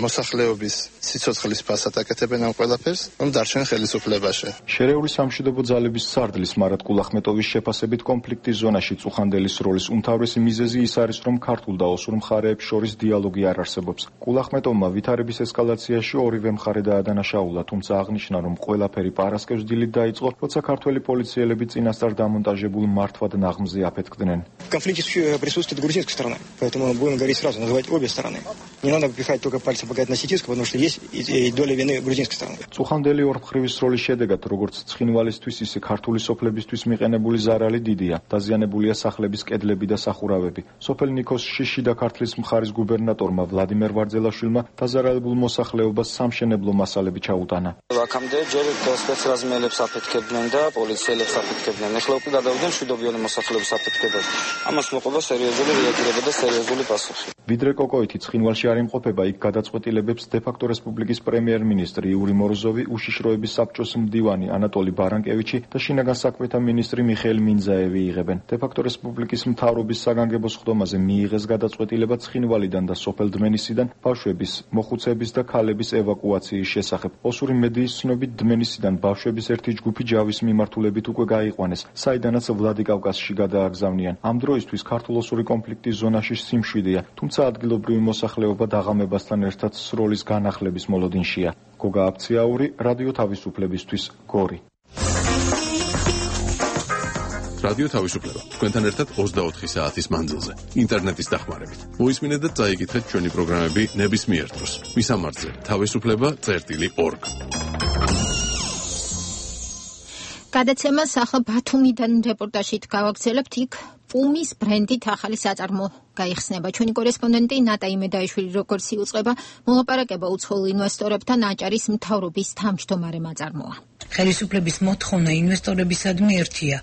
J: მოსახლეობის სიცოცხლის ფასად აკეთებენ ამ ყველაფერს, რომ დარჩენ ხელისუფლებაში.
H: შერეული სამშვიდობო ძალების სარდლის მარად კულახმეტოვის შეფასებით კონფლიქტის ზონაში წუხანდელის როლის უმთავრესი მიზეზი ის არის, რომ ქართულ და ოსურ მხარეებს შორის დიალოგი არ არსებობს. კულახმეტოვმა ვითარების ესკალაციაში ორივე მხარე დაადანაშაულა, თუმცა აღნიშნა, რომ ყველაფერი პარასკევს დილით დაიწყო, როცა ქართველი პოლიციელები წინასწარ დამონტაჟებულ მართვად ნაღმზე აფეთქდნენ.
K: Конфликт присутствует грузинской стороны, поэтому будем говорить сразу, называть обе стороны. Не надо пихать только пальцем показать на сетинскую, потому что есть и доля вины грузинской стороны.
H: წუხანდელი ორმხრივი სროლის შედეგად, როგორც ცხინვალისთვის, ისე ქართული სოფლებისთვის მიყენებული ზარალი დიდია. დაზიანებულია სახლების კედლები და სახურავები. სოფელ ნიქოსში შიდა ქართლის მხარის გუბერნატორმა ვლადიმერ ვარძელაშვილმა დაზარალებულ მოსახლეობას სამშენებლო მასალები ჩაუტანა.
L: აქამდე ჯერ სპეცრაზმელებს აფეთქებდნენ და პოლიციელებს აფეთქებდნენ. ეხლა უკვე გადავიდნენ მშვიდობიანი მოსახლეობის აფეთქებაზე. ამას მოყვება სერიოზული რეაგირება და სერიოზული პასუხი.
H: ვიდრე კოკოითი ცხინვალში არ იმყოფება, იქ გადაწყვეტილებებს დე-ფაქტო რესპუბლიკის პრემიერ-მინისტრი იური მოროზოვი, უშიშროების საბჭოს მდივანი ანატოლი ბარანკევიჩი და შინაგან საქმეთა მინისტრი მიხეილ მინძაევი იღებენ. დე-ფაქტო რესპუბლიკის მთავრობის საგანგებო სხდომაზე მიიღეს გადაწყვეტილება ცხინვალიდან და სოფელ დმენისიდან ბავშვების, მოხუცების და ქალების ევაკუაციის შესახებ. ოსური მედიის ცნობით დმენისიდან ბავშვების ერთი ჯგუფი ჯავის მიმართულებით უკვე გაიყვანეს, საიდანაც ვლადიკავკაზში გადააგზავნიან. ამ დროისთვის ქართულ-ოსური კონფლიქტის ზონაში სიმშვიდეა, თუმცა ადგილობრივი მოსახლეობა დაღამებასთან ერთად სროლის განახლების მოლოდინშია. გოგა აფციაური, რადიო თავისუფლებისთვის, გორი.
C: რადიო თავისუფლება თქვენთან ერთად ოცდაოთხი საათის მანძილზე ინტერნეტის დახმარებით. მოისმინეთ და წაიკითხეთ ჩვენი პროგრამები ნებისმიერ დროს. მისამართზე თავისუფლება წერტილი ორგ.
A: გადაცემა ახლა ბათუმიდან რეპორტაჟით გავაგრძელებთ. იქ პუმის ბრენდით ახალი საწარმო გაიხსნება. ჩვენი კორესპონდენტი ნატა იმედაიშვილი როგორც იუწყება მოლაპარაკება უცხოელ ინვესტორებთან აჭარის მთავრობის თავმჯდომარე მაწარმოა.
M: ხელისუფლების მოთხოვნა ინვესტორებისადმი ერთია.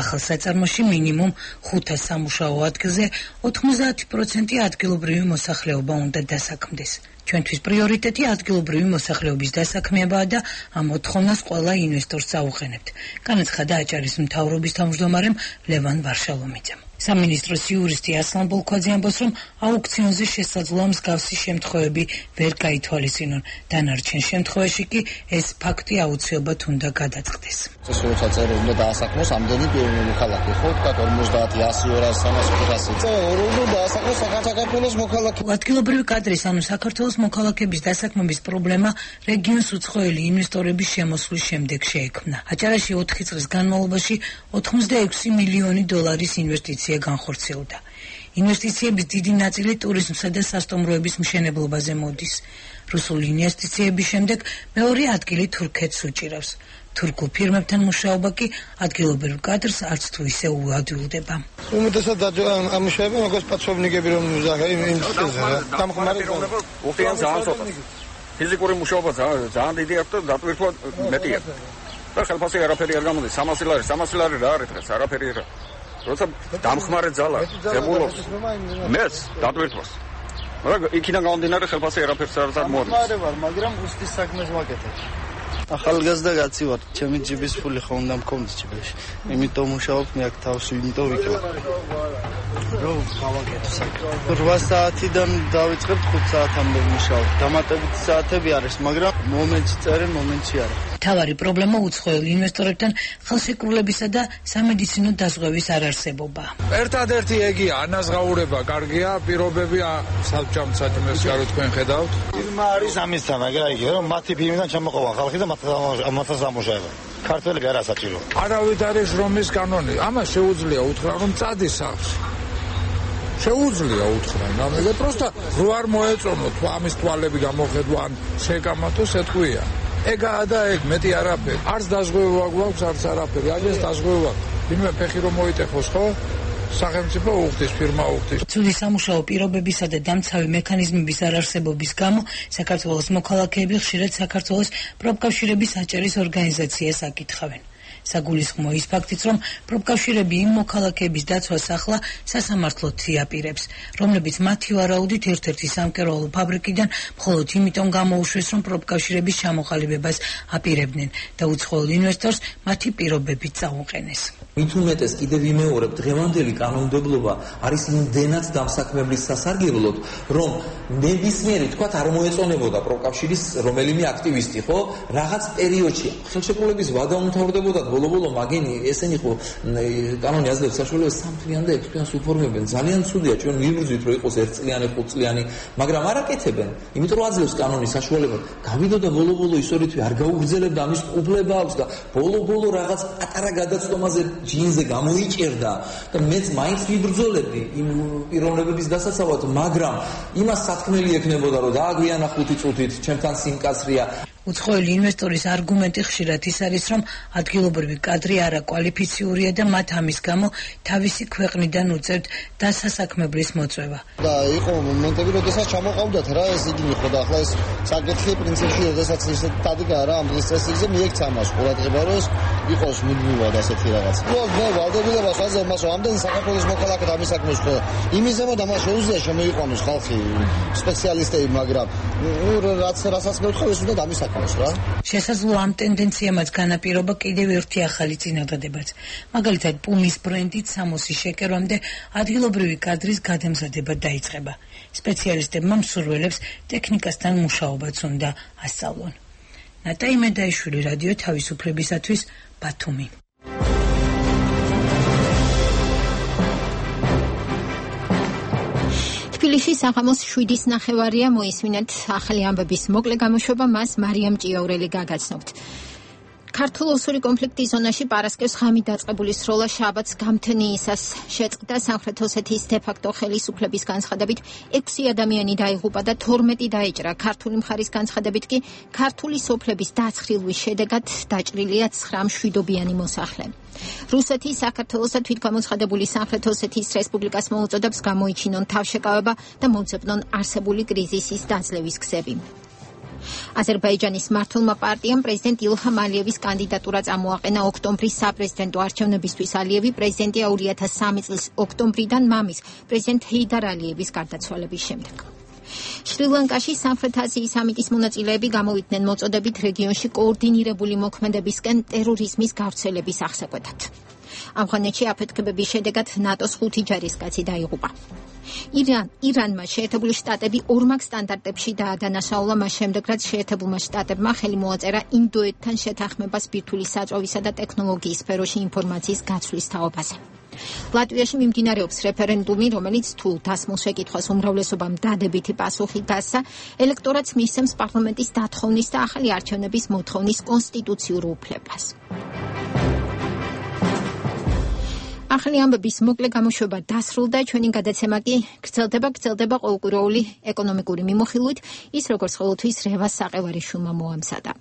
M: ახალ საწარმოში მინიმუმ ხუთა სამუშაო ადგილზე ოთხმოცდაათი პროცენტი ადგილობრივი მოსახლეობა უნდა დასაქმდეს. ჩვენთვის პრიორიტეტი ადგილობრივი მოსახლეობის დასაქმებაა და ამ მოთხოვნას ყველა ინვესტორს წაუყენებთ. განაცხადა აჭარის მთავრობის თავმჯდომარემ ლევან ვარშალომიძემ. სამინისტროს იურისტი ასლან ბოლქვაძე ამბობს, რომ აუქციონზე შესაძლოა მსგავსი შემთხვევები ვერ გაითვალისწინონ. დანარჩენ შემთხვევაში კი ეს ფაქტი აუცილებლად უნდა გადაწყდეს.
J: ეს როცა წერო უნდა დაასაქმოს ამდენი მოქალაქე, ხო, თქვა ორმოცდაათი, ასი, ორასი, სამასი, ხუთასი. წერო უნდა დაასაქმოს საქართველოს მოქალაქე.
M: ადგილობრივი კადრის, ანუ საქართველოს მოქალაქების დასაქმების პრობლემა რეგიონს უცხოელი ინვესტორების შემოსვლის შემდეგ შეექმნა. აჭარაში ოთხი წლის განმავლობაში ოცდაექვსი მილიონი დოლარის ინვესტიცია განხორციელდა. ინვესტიციების დიდი ნაწილი ტურიზმსა და სასტუმროების მშენებლობაზე მოდის. რუსული ინვესტიციების შემდეგ მეორე ადგილი თურქეთს უჭირავს. თურქულ ფირმებთან მუშაობა კი ადგილობრივ კადრს არც თუ ისე უადვილდება.
J: უმეტესად ამ მუშაობა როგორც პატრონიკები რომ დამხმარე
F: უხდიან ძალიან ცოტა. ფიზიკური მუშაობა ძალიან დიდი აქვს და დატვირთვა მეტი აქვს. და ხელფასი არაფერი არ გამოდის. სამასი ლარი, სამასი ლარი რა არის დღეს? არაფერი რა. როცა დამხმარე ძალა ზებულობს მეც დატვირთვას. მაგრამ იქიდან გამომდინარე ხელფასი არაფერს არ წარმოადგენს.
J: დამხმარე ვარ, მაგრამ უსტის საქმეს ვაკეთებ. ახალგაზრდა კაცი ვარ, ჩემი ჯიბის ფული ხო უნდა მქონდეს ჯიბში. იმიტომ მუშაობ მე აქ თავს იმიტომ ვიკლებ. რო გავაკეთო საქმე. რვა საათიდან დავიწყებ ხუთ საათამდე მუშაობ. დამატებითი საათები არის, მაგრამ მომენტში წერე, მომენტში არა.
M: თავარი პრობლემა უცხოელ ინვესტორებთან ხელშეკრულებისა და სამედიცინო დაზღვევის არარსებობა.
N: ერთადერთი ეგია, ანაზღაურება კარგია, პირობები საბჭომ საჭმელს გარო თქვენ ხედავთ.
K: ფირმა არის ამისა, მაგრამ იგი რომ მათი ფირმიდან ჩამოყვა ხალხი და მათაც ამუშავება. ქართველები არა საჭირო.
N: არავით არის რომის კანონი. ამას შეუძლია უთხრა რომ წადის სახლში. შეუძლია უთხრა, მაგრამ პროსტა რო არ მოეწონოთ ამის თვალები გამოხედვან შეკამათო სეთქვია. ეგაა და ეგ მეტი არაფერი. არც დაზღვევა გვაქვს, არც არაფერი. აგეს დაზღვევა. ვინმე ფეხი რომ მოიტეხოს, ხო? სახელმწიფო უხდის, ფირმა უხდის.
M: ცუდი სამუშაო პირობებისა და დამცავი მექანიზმების არარსებობის გამო საქართველოს მოქალაქეები ხშირად საქართველოს პროფკავშირების აჭარის ორგანიზაციას აკითხავენ. საგულისხმო ის ფაქტიც, რომ პროფკავშირები იმ მოქალაქეების დაცვას ახლა სასამართლოდ იაპირებს, რომლებიც მათი ვარაუდით ერთ-ერთი სამკერვალო ფაბრიკიდან მხოლოდ იმიტომ გამოუშვეს, რომ პროფკავშირების ჩამოყალიბებას აპირებდნენ და უცხოელ ინვესტორს მათი პირობებით წაუყენეს.
O: მით უმეტეს კიდევ ვიმეორებ, დღევანდელი კანონმდებლობა არის იმდენად დამსაქმებლის სასარგებლოდ, რომ ნებისმიერი თქვათ არ მოეწონებოდა პროფკავშირის რომელიმე აქტივისტი, ხო? რაღაც პერიოდში ხელშეკრულების ვადა უმთავრდებოდა ბოლო-ბოლო მაგენი ესენი ხო კანონი აძლევს საშუალებას სამთლიან და ექვსთლიანს უფორმებენ. ძალიან ცუდია, ჩვენ ვიბრძვით რომ იყოს ერთწლიანი, ხუთწლიანი, მაგრამ არ აკეთებენ. იმიტომ რომ აძლევს კანონი საშუალებას. გავიდოდა ბოლო-ბოლო ის ორითვე არ გაუგრძელებდა ამის უფლება აქვს და ბოლო-ბოლო რაღაც პატარა გადაცდომაზე ჯინზე გამოიჭერდა და მეც მაინც ვიბრძოლებდი იმ პიროვნებების დასაცავად, მაგრამ იმას სათქმელი ექნებოდა რომ დააგვიანა ხუთი წუთით, ჩემთან სიმკაცრია.
M: უცხოელი ინვესტორის არგუმენტი ხშირად ის არის, რომ ადგილობრივი კადრი არაკვალიფიციურია და მათ ამის გამო თავისი ქვეყნიდან უწევთ დასასაქმებლის მოწვევა.
P: და იყო მომენტები, როდესაც ჩამოყავდათ რა ეს იგი ხო და ახლა ეს საკითხი პრინციპში როდესაც ის დადგა რა ამ დღის წესრიგზე მიექცა მას ყურადღება რომ იყოს მუდმივად ასეთი რაღაც. ნუ მე ვალდებულებას ხაზე მას ამდენი საქართველოს მოქალაქედ ამის საქმეს ხო იმის ზემო და მას შეუძლია შემოიყვანოს ხალხი სპეციალისტები, მაგრამ ნუ რაც რასაც მე ვთქვი ეს უნდა ამის საქმეს რა.
M: შესაძლოა ამ ტენდენციამაც განაპირობა კიდევ ერთი ახალი წინადადებაც. მაგალითად, პუმის ბრენდით სამოსი შეკერვამდე ადგილობრივი კადრის გადამზადება დაიწყება. სპეციალისტებმა მსურველებს ტექნიკასთან მუშაობაც უნდა ასწავლონ. ნატაი მედაიშვილი, რადიო თავისუფლებისათვის, ბათუმი.
A: თბილისში საღამოს შვიდის ნახევარია მოისმინეთ ახალი ამბების მოკლე გამოშვება, მას მარიამ ჭიაურელი გაგაცნობთ. ქართულ-ოსური კონფლიქტის ზონაში პარასკევს ღამით დაწყებული სროლა შაბათს გამთენიისას შეწყდა. სამხრეთ ოსეთის დე-ფაქტო ხელისუფლების განცხადებით ექვსი ადამიანი დაიღუპა და თორმეტი დაეჭრა. ქართული მხარის განცხადებით კი ქართული სოფლების დაცხრილვის შედეგად დაჭრილია ცხრა მშვიდობიანი მოსახლე. რუსეთი საქართველოს და თვითგამოცხადებული სამხრეთ ოსეთის რესპუბლიკას მოუწოდებს გამოიჩინონ თავშეკავება და მოძებნონ არსებული კრიზისის დაძლევის გზები. აზერბაიჯანის მმართველმა პარტიამ პრეზიდენტ ილჰამ ალიევის კანდიდატურა წამოაყენა ოქტომბრის საპრეზიდენტო არჩევნებისთვის. ალიევი პრეზიდენტია ორი ათას სამი წლის ოქტომბრიდან მამის პრეზიდენტ ჰეიდარ ალიევის გარდაცვალების შემდეგ. შრი-ლანკაში სამხრეთ აზიის სამიტის მონაწილეები გამოვიდნენ მოწოდებით რეგიონში კოორდინირებული მოქმედებისკენ ტერორიზმის გავრცელების აღსაკვეთად. ამხანეთში აფეთქებების შედეგად ნატოს ხუთი ჯარისკაცი დაიღუპა. ირან ირანმა შეერთებული შტატები ორმაგ სტანდარტებში დაადანაშაულა მას შემდეგ, რაც შეერთებულმა შტატებმა ხელი მოაწერა ინდოეთთან შეთანხმებას ბირთვული საწვავისა და ტექნოლოგიის სფეროში ინფორმაციის გაცვლის თაობაზე. ლატვიაში მიმდინარეობს რეფერენდუმი, რომელიც თუ დასმულ შეკითხვას უმრავლესობამ დადებითი პასუხი გასცა, ელექტორატს მისცემს პარლამენტის დათხოვნის და ახალი არჩევნების მოთხოვნის კონსტიტუციურ უფლებას. ახალი ამბების მოკლე გამოშვება დასრულდა, ჩვენი გადაცემა კი გრძელდება, გრძელდება ყოველკვირეული ეკონომიკური მიმოხილვით, ის როგორც ყოველთვის რევას საყევარიშვილმა მოამზადა.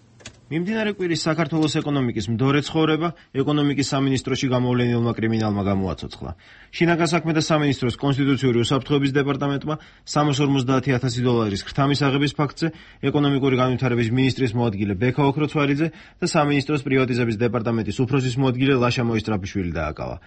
Q: მიმდინარე კვირის საქართველოს ეკონომიკის მდორე ცხოვრება ეკონომიკის სამინისტროში გამოვლენილმა კრიმინალმა გამოაცოცხლა. შინაგან საქმეთა სამინისტროს კონსტიტუციური უსაფრთხოების დეპარტამენტმა სამას ორმოცდაათი ათასი დოლარის ქრთამის აღების ფაქტზე ეკონომიკური განვითარების მინისტრის მოადგილე ბექა ოქროცვალიძე და სამინისტროს პრივატიზების დეპარტამენტის უფროსის მოადგილე ლაშა მოისტრაფიშვილი დააკავა.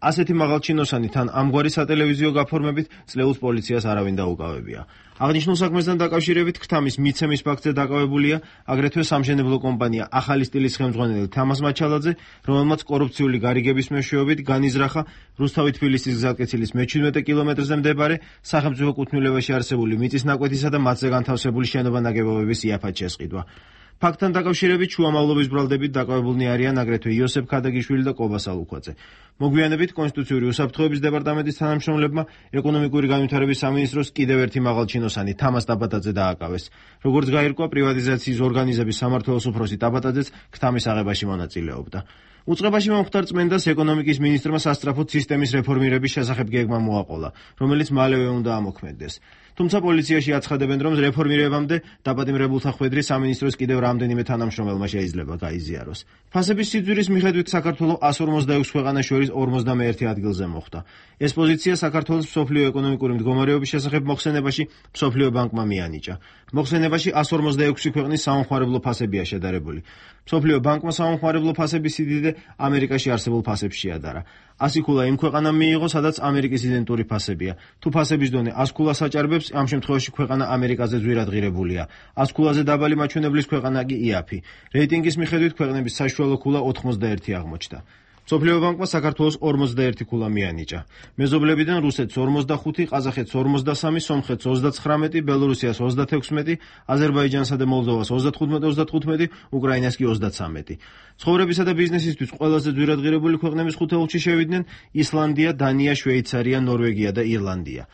Q: ასეთი მაღალჩინოსანი თან ამგვარი სატელევიზიო გაფორმებით წლეულს პოლიციას არავინ დაუკავებია. აღნიშნულ საქმესთან დაკავშირებით ქრთამის მიცემის ფაქტზე დაკავებულია აგრეთვე სამშენებლო კომპანია ახალი სტილის ხელმძღვანელი თამაზ მაჩალაძე, რომელმაც კორუფციული გარიგების მეშვეობით განიზრახა რუსთავი-თბილისის გზატკეცილის მეჩვიდმეტე კილომეტრზე მდებარე სახელმწიფო კუთვნილებაში არსებული მიწის ნაკვეთისა და მათზე განთავსებული შენობა-ნაგებობების იაფად შესყიდვა. ფაქტთან დაკავშირებით შუამავლობის ბრალდებით დაკავებულნი არიან აგრეთვე იოსებ ქადაგიშვილი და კობა სალუქვაძე. მოგვიანებით კონსტიტუციური უსაფრთხოების დეპარტამენტის თანამშრომლებმა ეკონომიკური განვითარების სამინისტროს კიდევ ერთი მაღალჩინოსანი თამაზ ტაბატაძე დააკავეს. როგორც გაირკვა, პრივატიზაციის ორგანიზების სამმართველოს უფროსი ტაბატაძეც ქთამის აღებაში მონაწილეობდა. უწყებაში მომხდარ წმენდას ეკონომიკის მინისტრმა სასწრაფოდ სისტემის რეფორმირების შესახებ გეგმა მოაყოლა, რომელიც მალევე უნდა ამოქმედდეს. თუმცა პოლიციაში აცხადებენ, რომ რეფორმირებამდე დაპატიმრებულთა ხვედრი სამინისტროს კიდევ რამდენიმე თანამშრომელმა შეიძლება გაიზიაროს. ფასების სიძვირის მიხედვით საქართველო ას ორმოცდაექვსი ქვეყანას შორის ორმოცდამეერთე ადგილზე მოხვდა. ეს პოზიცია საქართველოს მსოფლიო ეკონომიკური მდგომარეობის შესახებ მოხსენებაში მსოფლიო ბანკმა მიანიჭა. მოხსენებაში ას ორმოცდაექვსი ქვეყნის საომხმარებლო ფასებია შედარებული. მსოფლიო ბანკმა საომხმარებლო ფასების სიდიდე ამერიკაში არსებულ ფასებს შეადარა. ასი ქულა იმ ქვეყანამ მიიღო, სადაც ამერიკის იდენტური ფასებია. თუ ფასების დონე ას ქულას აჭარბებს, ამ შემთხვევაში ქვეყანა ამერიკაზე ძვირადღირებულია. ას ქულაზე დაბალი მაჩვენებლის ქვეყანა კი იაფი. რეიტინგის მიხედვით ქვეყნების საშუალო ქულა ოთხმოცდაერთი აღმოჩნდა. მსოფლიო ბანკმა საქართველოს ორმოცდაერთი ქულა მიანიჭა. მეზობლებიდან რუსეთს ორმოცდახუთი, ყაზახეთს ორმოცდასამი, სომხეთს ოცდაცხრამეტი, ბელორუსიას ოცდათექვსმეტი, აზერბაიჯანსა და მოლდოვას ოცდათხუთმეტი ოცდათხუთმეტი, უკრაინას კი ოცდაცამეტი. ცხოვრებისა და ბიზნესისთვის ყველაზე ძვირადღირებული ქვეყნების ხუთეულში შევიდნენ ისლანდია, დანია, შვეიცარია, ნორვეგია და ირლანდია.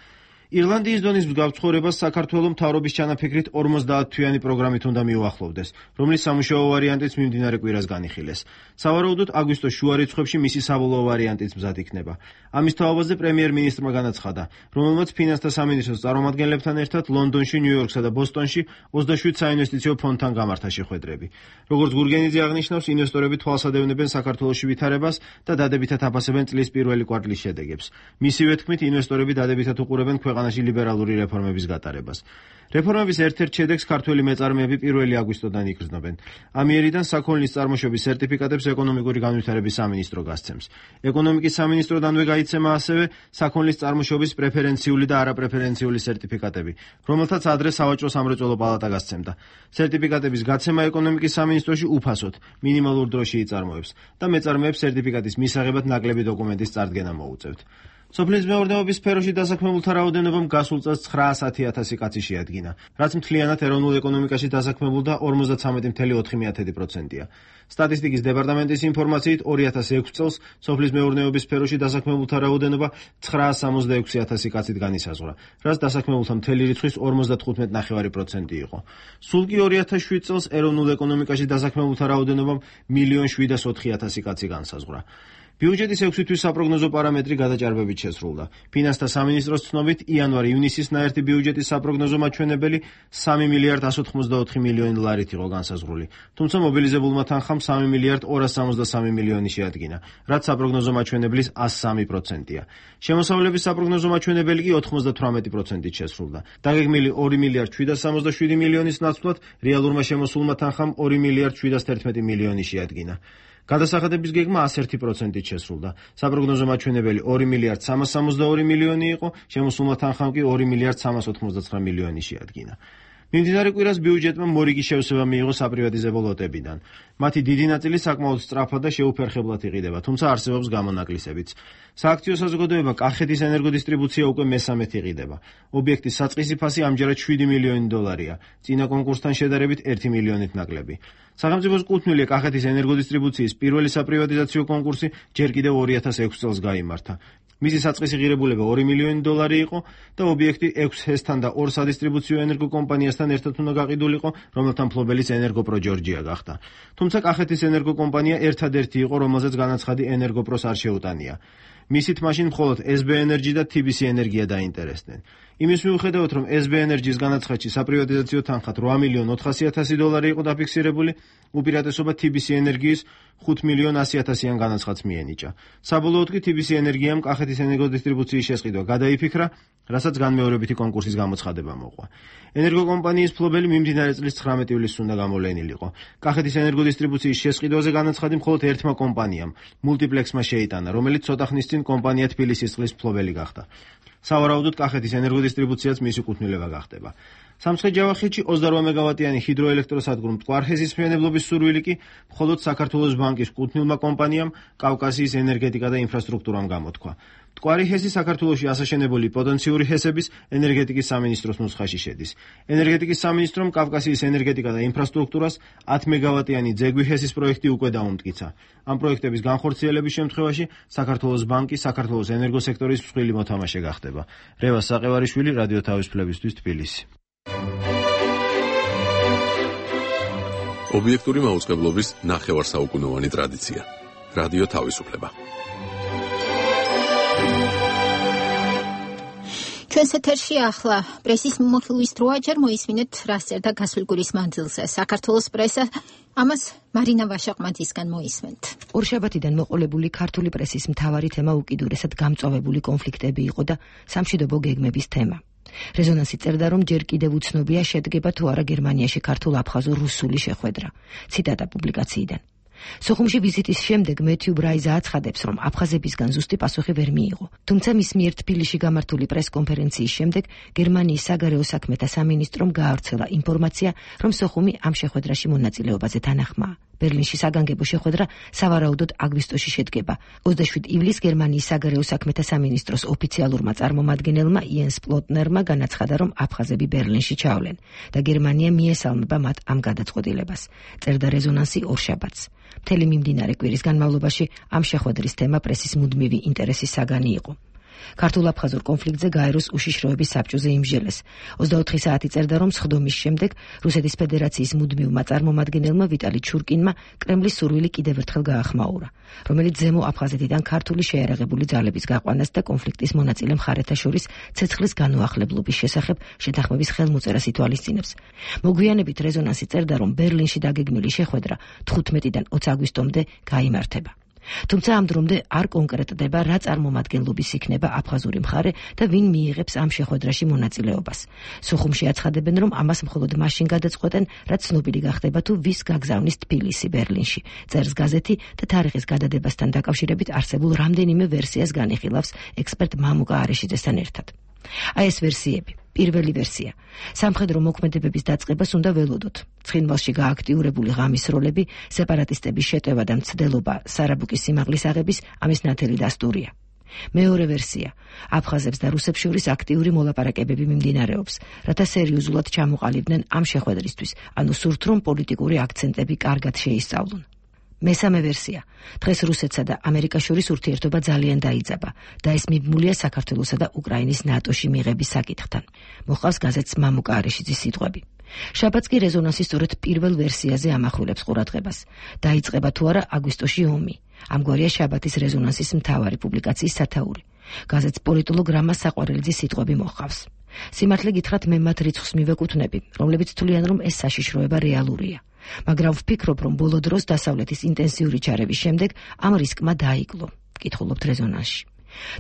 Q: ირლანდიის დონის მსგავს საქართველოს მთავრობის ჩანაფიქრით ორმოცდაათ თვიანი პროგრამით უნდა მიუახლოვდეს, რომლის სამუშაო ვარიანტიც მიმდინარე კვირას განიხილეს. სავარაუდოდ აგვისტოს შუა რიცხვებში მისი საბოლოო ვარიანტიც მზად იქნება. ამის თაობაზე პრემიერ-მინისტრმა განაცხადა, რომელმაც ფინანსთა სამინისტროს წარმომადგენლებთან ერთად ლონდონში, ნიუ-იორკსა და ბოსტონში ოცდაშვიდ საინვესტიციო ფონდთან გამართა შეხვედრები. როგორც გურგენიძე აღნიშნავს, ინვესტორები თვალსად ევნებენ საქართველოში ვითარებას და დადებითად აფასებენ წლის პირველი კვარტლის შედეგებს. მისივე თქმით, ინვესტორები დადებითად უყურებენ ქვეყანაში ლიბერალური რეფორმების გატარებას. რეფორმების ერთ-ერთ შედეგს ქართველი მეწარმეები პირველი აგვისტოდან იგრძნობენ. ამიერიდან საქონლის წარმოშობის სერტიფიკატებს ეკონომიკური განვითარების სამინისტრო გასცემს. ეკონომიკის სამინისტროდანვე გაიცემა ასევე საქონლის წარმოშობის პრეფერენციული და არაპრეფერენციული სერტიფიკატები, რომელთაც ადრე სავაჭრო სამრეწველო პალატა გასცემდა. სერტიფიკატების გაცემა ეკონომიკის სამინისტროში უფასოდ, მინიმალურ დროში იწარმოებს და მეწარმეებს სერტიფიკატის მისაღებად ნაკლები დოკუმენტის წარდგენა მოუწევთ. სოფლის მეურნეობის სფეროში დასაქმებულთა რაოდენობამ გასულ წელს ცხრაასი ათასი კაცი შეადგინა, რაც მთლიანად ეროვნულ ეკონომიკაში დასაქმებულთა ორმოცდათრამეტი კoma ოთხი პროცენტია. სტატისტიკის დეპარტამენტის ინფორმაციით ორი ათას ექვსი წელს სოფლის მეურნეობის სფეროში დასაქმებულთა რაოდენობა ცხრაას სამოცდაექვსი ათასი კაცით განისაზღვრა, რაც დასაქმებულთა მთელი რიცხვის ორმოცდათხუთმეტი კoma პενήντα პროცენტი იყო. სულ კი ორი ათას შვიდ წელს ეროვნულ ეკონომიკაში დასაქმებულთა რაოდენობამ მილიონი შვიდას ოთხი ათასი კაცი განსაზღვრა. ბიუჯეტის ექვსი თვის საპროგნოზო პარამეტრი გადაჭარბებით შესრულდა. ფინანსთა სამინისტროს ცნობით, იანვარ-ივნისის ნაერთი ბიუჯეტის საპროგნოზო მაჩვენებელი სამი მილიარდ ასი ოცდაოთხი მილიონი ლარით იყო განსაზღვრული. თუმცა მობილიზებულმა თანხამ სამი მილიარდ ორას სამოცდასამი მილიონი შეადგინა, რაც საპროგნოზო მაჩვენებლის ას სამი პროცენტია. შემოსავლების საპროგნოზო მაჩვენებელი კი ოთხმოცდათვრამეტი პროცენტით შესრულდა. დაგეგმილი ორი მილიარდ შვიდას სამოცდაშვიდი მილიონის ნაცვლად რეალურმა შემოსულმა თანხამ ორი მილიარდ შვიდას თერთმეტი მილიონი შეადგინა. გადასახადების გეგმა ას ერთი პროცენტით შესრულდა. საპროგნოზო მაჩვენებელი ორი მილიარდ სამას სამოცდაორი მილიონი იყო, შემოსულმა თანხამ კი ორი მილიარდ სამას ოთხმოცდათვრამეტი მილიონი შეადგინა. მიმდინარე კვირას ბიუჯეტმა მორიგი შევსება მიიღო საპრივატიზებო ლოტებიდან. მათი დიდი ნაწილი საკმაოდ სწრაფად და შეუფერხებლად იყიდება, თუმცა არსებობს გამონაკლისებიც. სააქციო საზოგადოება კახეთის ენერგოდისტრიბუცია უკვე მესამედ იყიდება. ობიექტის საწყისი ფასი ამჯერად შვიდი მილიონი დოლარია, წინა კონკურსთან შედარებით ერთი მილიონით ნაკლები. სახელმწიფოს კუთვნილია კახეთის ენერგოდისტრიბუციის პირველი საპრივატიზაციო კონკურსი ჯერ კიდევ ორი ათას ექვსი წელს გაიმართა. მისი საწყისი ღირებულება ორი მილიონი დოლარი იყო და ობიექტი ექვს ჰესთან და ორ სადისტრიბუციო ენერგოკომპანიასთან ერთად უნდა გაყიდულიყო, რომელთა მფლობელიც ენერგოპრო ჯორჯია გახდა. თუმცა კახეთის ენერგოკომპანია ერთადერთი იყო, რომელზეც განაცხადი ენერგოპროს არ შეუტანია. მისით მაშინ მხოლოდ ეს ბი ენერჯი და თი ბი სი ენერგია დაინტერესდნენ. იმის მიუხედავად, რომ ეს ბი ენერჯის განაცხადში საპრივატიზაციო თანხა რვა მილიონი ოთხასი ათასი დოლარი იყო დაფიქსირებული, უპირატესობა თი ბი სი ენერგიის ხუთ მილიონი ასი ათასიან განაცხადს მიენიჭა. საბოლოოდ კი თი ბი სი ენერგიამ კახეთის ენერგოდისტრიბუციის შესყიდვა გადაიფიქრა, რასაც განმეორებითი კონკურსის გამოცხადება მოყვა. ენერგოკომპანიის მფლობელი მიმდინარე წლის ცხრამეტი ივლისს უნდა გამოვლენილიყო. კახეთის ენერგოდისტრიბუციის შესყიდვაზე განაცხადი მხოლოდ ერთმა კომპანიამ, მულტიპლექსმა შეიტანა, რომელიც ცოტა ხნის წინ კომპანია თბილისის წყლის მფლობელი გახდა. სავარაუდოდ კახეთის ენერგოდისტრიბუციაც მისი კუთვნილება გახდება. სამცხე-ჯავახეთში ოცდარვა მეგავატიანი ჰიდროელექტროსადგურ მტკვარ-ჰესის მშენებლობის სურვილი კი მხოლოდ საქართველოს ბანკის კუთვნილმა კომპანიამ კავკასიის ენერგეტიკა და ინფრასტრუქტურამ გამოთქვა. მტკვარი ჰესი საქართველოში ასაშენებული პოტენციური ჰესების ენერგეტიკის სამინისტროს ნუსხაში შედის. ენერგეტიკის სამინისტრომ კავკასიის ენერგეტიკა და ინფრასტრუქტურას ათ მეგავატიანი ძეგვი ჰესის პროექტი უკვე დაუმტკიცა. ამ პროექტების განხორციელების შემთხვევაში საქართველოს ბანკი საქართველოს ენერგოსექტორის მსხვილი მოთამაშე გახდება. რევას საყევარიშვილი, რადიო თავისუფლებისთვის, თბილისი.
C: ობიექტური მაუწყებლობის ნახევარსაუკუნოვანი ტრადიცია. რადიო თავისუფლება.
A: ჩვენს ეთერში ახლა პრესის მიმოხილვის დროა, ჯერ მოისმინეთ რას წერდა გასული კვირის მანძილზე საქართველოს პრესა. ამას მარინა ვაშაყმაძისგან მოისმენთ.
R: ორშაბათიდან მოყოლებული ქართული პრესის მთავარი თემა უკიდურესად გამწვავებული კონფლიქტები იყო და სამშვიდობო გეგმების თემა. რეზონანსი წერდა, რომ ჯერ კიდევ უცნობია შედგება თუ არა გერმანიაში ქართულ-აფხაზურ-რუსული შეხვედრა. ციტატა პუბლიკაციიდან. სოხუმში ვიზიტის შემდეგ მეთიუ ბრაიზა აცხადებს, რომ აფხაზებისგან ზუსტი პასუხი ვერ მიიღო. თუმცა მის მიერ თბილისში გამართული პრეს-კონფერენციის შემდეგ გერმანიის საგარეო საქმეთა სამინისტრომ გაავრცელა ინფორმაცია, რომ სოხუმი ამ შეხვედრაში მონაწილეობაზე თანახმაა. ბერლინში საგანგებო შეხვედრა სავარაუდოდ აგვისტოში შედგება. ოცდაშვიდ ივლისს გერმანიის საგარეო საქმეთა სამინისტროს ოფიციალურმა წარმომადგენელმა იენს პლოტნერმა განაცხადა, რომ აფხაზები ბერლინში ჩავლენ და გერმანია მიესალმება მათ ამ გადაწყვეტილებას. წერდა რეზონანსი ორშაბათს. მთელი მიმდინარე კვირის განმავლობაში ამ შეხვედრის თემა პრესის მუდმივი ინტერესის საგანი იყო. ქართულ-აფხაზურ კონფლიქტზე გაეროს უშიშროების საბჭოზე იმსჯელეს. ოცდაოთხი საათი წერდა, რომ სხდომის შემდეგ რუსეთის ფედერაციის მუდმივმა წარმომადგენელმა ვიტალი ჩურკინმა კრემლის სურვილი კიდევ ერთხელ გაახმაურა, რომელიც ზემო აფხაზეთიდან ქართული შეიარაღებული ძალების გაყვანას და კონფლიქტის მონაწილე მხარეთა შორის ცეცხლის განუახლებლობის შესახებ შეთანხმების ხელმოწერას ითვალისწინებს. მოგვიანებით რეზონანსი წერდა, რომ ბერლინში დაგეგმილი შეხვედრა თხუთმეტიდან ოცი აგვისტომდე გაიმართება. თუმცა ამ დრომდე არ კონკრეტდება, რა წარმომადგენლობის იქნება აფხაზური მხარე და ვინ მიიღებს ამ შეხვედრაში მონაწილეობას. სოხუმში აცხადებენ, რომ ამას მხოლოდ მაშინ გადაწყვეტენ, რაც ცნობილი გახდება თუ ვის გაგზავნის თბილისი ბერლინში. წერს გაზეთი და თარიღის გადადებასთან დაკავშირებით არსებულ რამდენიმე ვერსიას განიხილავს ექსპერტ მამუკა არეშიძესთან ერთად. აი ეს ვერსიები. პირველი ვერსია. სამხედრო მოქმედებების დაწყებას უნდა ველოდოთ. ცხინვალში გააქტიურებული ღამის როლები, სეპარატისტების შეტევა და მცდელობა სარაბუკის სიმაღლის აღების ამის ნათელი დასტურია. მეორე ვერსია. აფხაზებს და რუსებს შორის აქტიური მოლაპარაკებები მიმდინარეობს, რათა სერიოზულად ჩამოყალიბდნენ ამ შეხვედრისთვის, ანუ სურთ რომ პოლიტიკური აქცენტები კარგად შეისწავლონ. მესამე ვერსია. დღეს რუსეთსა და ამერიკას შორის ურთიერთობა ძალიან დაიძაბა და ეს მიბმულია საქართველოსა და უკრაინის ნატოში მიღების საკითხთან. მოყავს გაზეთს მამუკა არეშიძის სიტყვები. შაბათს კი რეზონანსი სწორედ პირველ ვერსიაზე ამახვილებს ყურადღებას. დაიწყება თუ არა აგვისტოში ომი. ამგვარია შაბათის რეზონანსის მთავარი პუბლიკაციის სათაური. გაზეთს პოლიტოლოგ რამა საყვარელიძის სიტყვები მოყავს. სიმართლე გითხრათ, მე მათ რიცხვს მივეკუთვნები, რომლებიც თვლიან, რომ ეს საშიშროება რეალურია. მაგრამ ვფიქრობ, რომ ბოლო დროს დასავლეთის ინტენსიური ჩარევის შემდეგ ამ რისკმა დაიკლო. კითხულობთ რეზონანსში.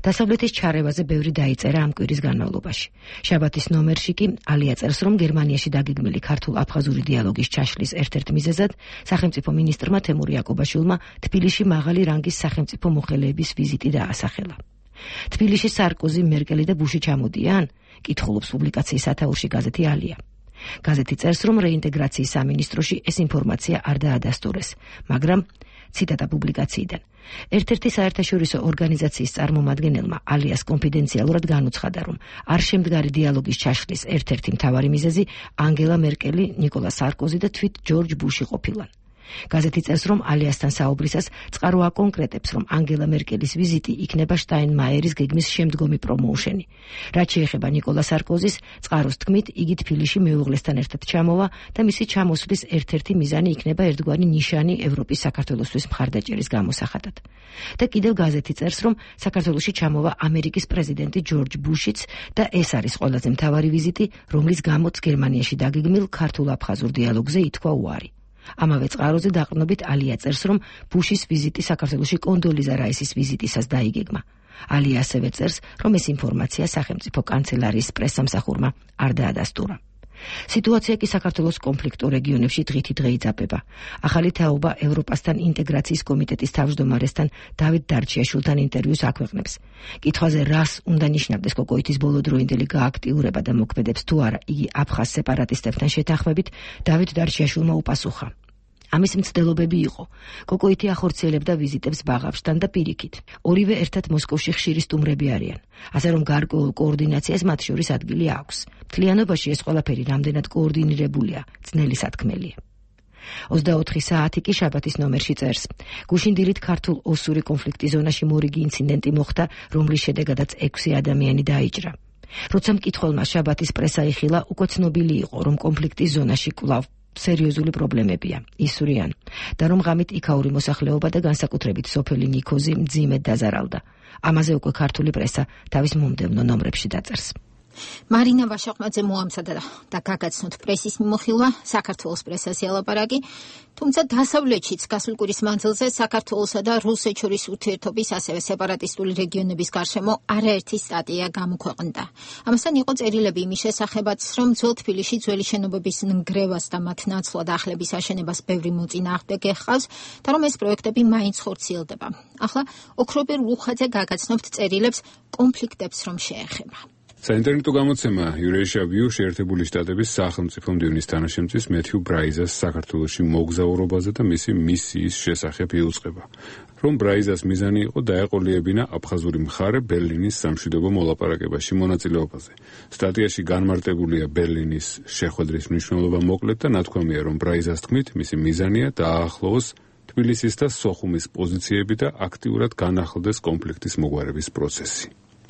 R: დასავლეთის ჩარევაზე ბევრი დაიწერა ამ კვირის განმავლობაში. შაბათის ნომერში კი ალია წერს, რომ გერმანიაში დაგეგმილი ქართულ-აფხაზური დიალოგის ჩაშლის ერთ-ერთ მიზეზად სახელმწიფო მინისტრმა თემურ იაკობაშვილმა თბილისში მაღალი რანგის სახელმწიფო მოხელეების ვიზიტი დაასახელა. თბილისში სარკოზი, მერკელი და ბუში ჩამოდიან? კითხულობს პუბლიკაციის სათაურში გაზეთი ალია. გაზეთი წერს, რომ რეინტეგრაციის სამინისტროში ეს ინფორმაცია არ დაადასტურეს, მაგრამ ციტატა პუბლიკაციიდან. ერთ-ერთი საერთაშორისო ორგანიზაციის წარმომადგენელმა ალიას კონფიდენციალურად განუცხადა, რომ არ შემდგარი დიალოგის ჩაშლის ერთ-ერთი მთავარი მიზეზი ანგელა მერკელი, ნიკოლა სარკოზი და თვით ჯორჯ ბუში ყოფილან. გაზეთი წერს, რომ ალიასთან საუბრისას წყარო აკონკრეტებს, რომ ანგელა მერკელის ვიზიტი იქნება შტაინმაიერის გეგმის შემდგომი პრომოუშენი. რაც შეეხება ნიკოლა სარკოზის, წყაროს თქმით, იგი თბილისში მეუღლესთან ერთად ჩამოვა და მისი ჩამოსვლის ერთ-ერთი მიზანი იქნება ერთგვარი ნიშანი ევროპის საქართველოსთვის მხარდაჭერის გამოსახატად. და კიდევ გაზეთი წერს, რომ საქართველოში ჩამოვა ამერიკის პრეზიდენტი ჯორჯ ბუშიც და ეს არის ყველაზე მთავარი ვიზიტი, რომლის გამოც გერმანიაში დაგეგმილ ქართულ-აფხაზურ დიალოგზე ითქვა უარი. ამავე წყაროზე დაყრდნობით ალია წერს, რომ ბუშის ვიზიტი საქართველოში კონდოლიზა რაისის ვიზიტისას დაიგეგმა. ალია ასევე წერს, რომ ეს ინფორმაცია სახელმწიფო კანცელარიის პრესსამსახურმა არ დაადასტურა. სიტუაცია კი საქართველოს კონფლიქტურ რეგიონებში დღითი დღე იძაბება. ახალი თაობა ევროპასთან ინტეგრაციის კომიტეტის თავმჯდომარესთან დავით დარჩიაშვილთან ინტერვიუს აქვეყნებს. კითხვაზე რას უნდა ნიშნავდეს კოკოითის ბოლოდროინდელი გააქტიურება და მოქმედებს თუ არა იგი აფხაზ სეპარატისტებთან შეთანხმებით, დავით დარჩიაშვილმა უპასუხა. ამის მცდელობები იყო. კოკოითი ახორციელებდა ვიზიტებს ბაღავშთან და პირიქით. ორივე ერთად მოსკოვში ხშირი სტუმრები არიან. ასე რომ გარკვეულ კოორდინაციას მათ შორის ადგილი აქვს. მთლიანობაში ეს ყველაფერი რამდენად კოორდინირებულია, ძნელი სათქმელია. ოცდაოთხი საათი კი შაბათის ნომერში წერს. გუშინ დილით ქართულ-ოსური კონფლიქტის ზონაში მორიგი ინციდენტი მოხდა, რომლის შედეგადაც ექვსი ადამიანი დაიჭრა. როცა მკითხველმა შაბათის პრესა იხილა, უკვე ცნობილი იყო, რომ კონფლიქტის ზონაში კვლავ სერიოზული პრობლემებია, ისვრიან და რომ ღამით იქაური მოსახლეობა და განსაკუთრებით სოფელი ნიქოზი მძიმედ დაზარალდა. ამაზე უკვე ქართული პრესა თავის მომდევნო ნომრებში დაწერს.
A: მარინა ვაშაყმაძე მოამზადა და გაგაცნოთ პრესის მიმოხილვა საქართველოს პრესაზე ელაპარაკი, თუმცა დასავლეთშიც გასულ კვირის მანძილზე საქართველოსა და რუსეთს შორის ურთიერთობის ასევე სეპარატისტული რეგიონების გარშემო არაერთი სტატია გამოქვეყნდა. ამასთან იყო წერილები იმის შესახებაც, რომ ძველ თბილისში ძველი შენობების ნგრევას და მათ ნაცვლად ახლების აშენებას ბევრი მოწინააღმდეგე ჰყავს და რომ ეს პროექტები მაინც ხორციელდება. ახლა ოქრობერ ლუხაძე გაგაცნობთ წერილებს კონფლიქტებს რომ შეეხება.
S: საინტერნეტო გამოცემა Eurasia-View შეერთებული შტატების სახელმწიფო მდივნის თანაშემწის მეთიუ ბრაიზას საქართველოში მოგზაურობაზე და მისი მისიის შესახებ იუწყება. რომ ბრაიზას მიზანი იყო დაეყოლიებინა აფხაზური მხარე ბერლინის სამშვიდობო მოლაპარაკებაში მონაწილეობაზე. სტატიაში განმარტებულია ბერლინის შეხვედრის მნიშვნელობა მოკლედ და ნათქვამია, რომ ბრაიზას თქმით, მისი მიზანია დააახლოვოს თბილისის და სოხუმის პოზიციები და აქტიურად განახლდეს კონფლიქტის მოგვარების პროცესი.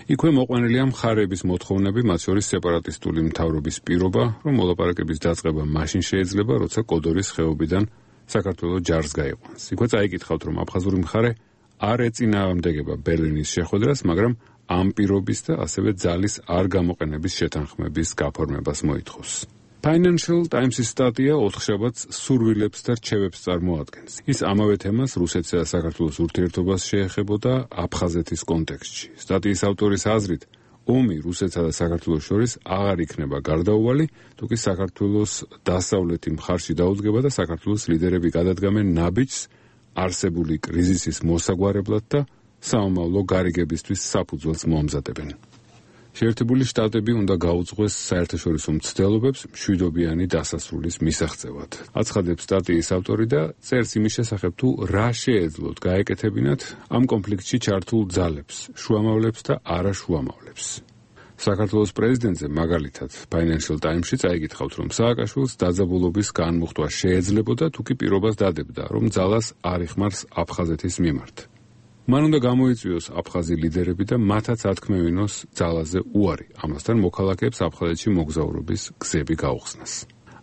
S: იქვე მოყვანილია მხარეების მოთხოვნები, მათ შორის სეპარატისტული მთავრობის პირობა, რომ მოლაპარაკების დაწყება მაშინ შეიძლება, როცა კოდორის ხეობიდან საქართველოს ჯარს გაიყვანს. იქვე წაიკითხავთ, რომ აფხაზური მხარე არ ეწინააღმდეგება ბერლინის შეხვედრას, მაგრამ ამ პირობის და ასევე ძალის არ გამოყენების შეთანხმების გაფორმებას მოითხოვს. Financial Times-ის სტატია ოთხშაბათს სურვილებს და რჩევებს წარმოადგენს. ის ამავე თემას რუსეთსა და საქართველოს ურთიერთობას შეეხებოდა აფხაზეთის კონტექსტში. სტატიის ავტორის აზრით, ომი რუსეთსა და საქართველოს შორის აღარ იქნება გარდაუვალი, თუკი საქართველოს დასავლეთი მხარში დაუდგება და საქართველოს ლიდერები გადადგამენ ნაბიჯს არსებული კრიზისის მოსაგვარებლად და საომავლო გარიგებისთვის საფუძველს მოამზადებენ. შეერთებული შტატები უნდა გაუძღვეს საერთაშორისო მცდელობებს მშვიდობიანი დასასრულის მისაღწევად. აცხადებს სტატიის ავტორი და წერს იმის შესახებ, თუ რა შეეძლოთ გაეკეთებინათ ამ კონფლიქტში ჩართულ ძალებს, შუამავლებს და არაშუამავლებს. საქართველოს პრეზიდენტზე მაგალითად Financial Times-ში წაიკითხავთ, რომ სააკაშვილს დაძაბულობის განმუხტვა შეეძლებოდა, თუკი პირობას დადებდა, რომ ძალას არ იხმარს აფხაზეთის მიმართ. მან უნდა გამოიწვიოს აფხაზი ლიდერები და მათაც ათქმევინოს ძალაზე უარი, ამასთან მოქალაქეებს აფხაზეთში მოგზაურობის გზები გაუხსნას.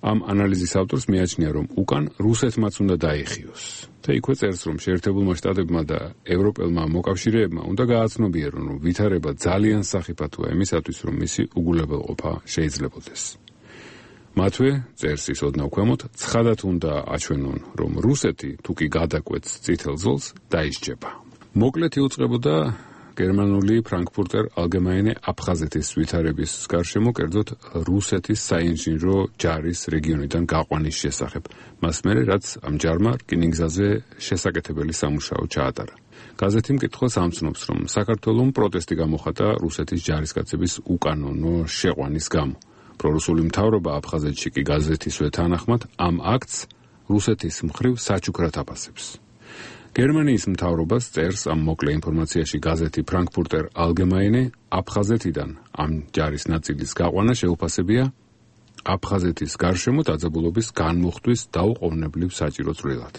S: ამ ანალიზის ავტორს მიაჩნია, რომ უკან რუსეთმაც უნდა დაიხიოს. და იქვე წერს, რომ შეერთებულმა შტატებმა და ევროპელმა მოკავშირეებმა უნდა გააცნობიერონ, რომ ვითარება ძალიან სახიფათოა იმისათვის, რომ მისი უგულებელყოფა შეიძლებოდეს. მათვე წერს ის ოდნავ ქვემოთ, ცხადად უნდა აჩვენონ, რომ რუსეთი თუკი გადაკვეთს წითელ ზოლს, დაისჯება. მოკლედ იუწყებოდა გერმანული Frankfurter Allgemeine აფხაზეთის ვითარების გარშემო, კერძოდ რუსეთის საინჟინრო ჯარის რეგიონიდან გაყვანის შესახებ. მას მერე, რაც ამ ჯარმა რკინიგზაზე შესაკეთებელი სამუშაო ჩაატარა. გაზეთი მკითხველს ამცნობს, რომ საქართველომ პროტესტი გამოხატა რუსეთის ჯარისკაცების უკანონო შეყვანის გამო. პრორუსული მთავრობა აფხაზეთში კი გაზეთისვე თანახმად ამ აქტს რუსეთის მხრივ საჩუქრად აფასებს. გერმანიის მთავრობას წერს ამ მოკლე ინფორმაციაში გაზეთი Frankfurter Allgemeine, აფხაზეთიდან ამ ჯარის ნაწილის გაყვანა შეუფასებია აფხაზეთის გარშემო დაძაბულობის განმუხტვის დაუყოვნებლივ საჭირო წვლილად.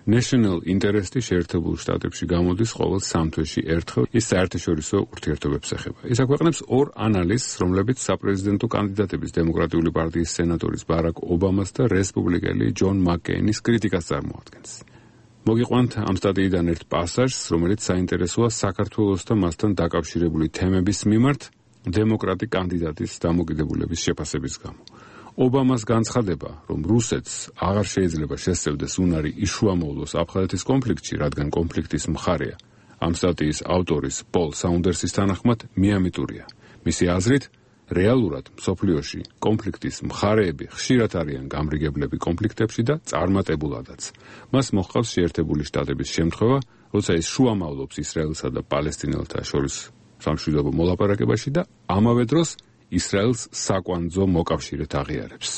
S: National Interest-ი შეერთებულ შტატებში გამოდის ყოველ სამ თვეში ერთხელ, ის საერთაშორისო ურთიერთობებს ეხება. ის აქვეყნებს ორ ანალიზს, რომლებიც საპრეზიდენტო კანდიდატების დემოკრატიული პარტიის სენატორის ბარაკ ობამას და რესპუბლიკელი ჯონ მაკკეინის კრიტიკას წარმოადგენს. მოგიყვანთ ამ სტატიიდან ერთ პასაჟს, რომელიც საინტერესოა საქართველოს და მასთან დაკავშირებული თემების მიმართ დემოკრატი კანდიდატის დამოკიდებულების შეფასების გამო. ობამას განცხადება, რომ რუსეთს აღარ შეიძლება შესწევდეს უნარი იშუამოვლოს აფხაზეთის კონფლიქტში, რადგან კონფლიქტის მხარეა. ამ სტატიის ავტორის პოლ საუნდერსის თანახმად მიამიტურია. მისი აზრით, რეალურად მსოფლიოში კონფლიქტის მხარეები ხშირად არიან გამრიგებლები კონფლიქტებში და წარმატებულადაც. მას მოჰყავს შეერთებული შტატების შემთხვევა, როცა ის შუამავლობს ისრაელსა და პალესტინელთა შორის სამშვიდობო მოლაპარაკებაში და ამავე დროს ისრაელს საკვანძო მოკავშირედ აღიარებს.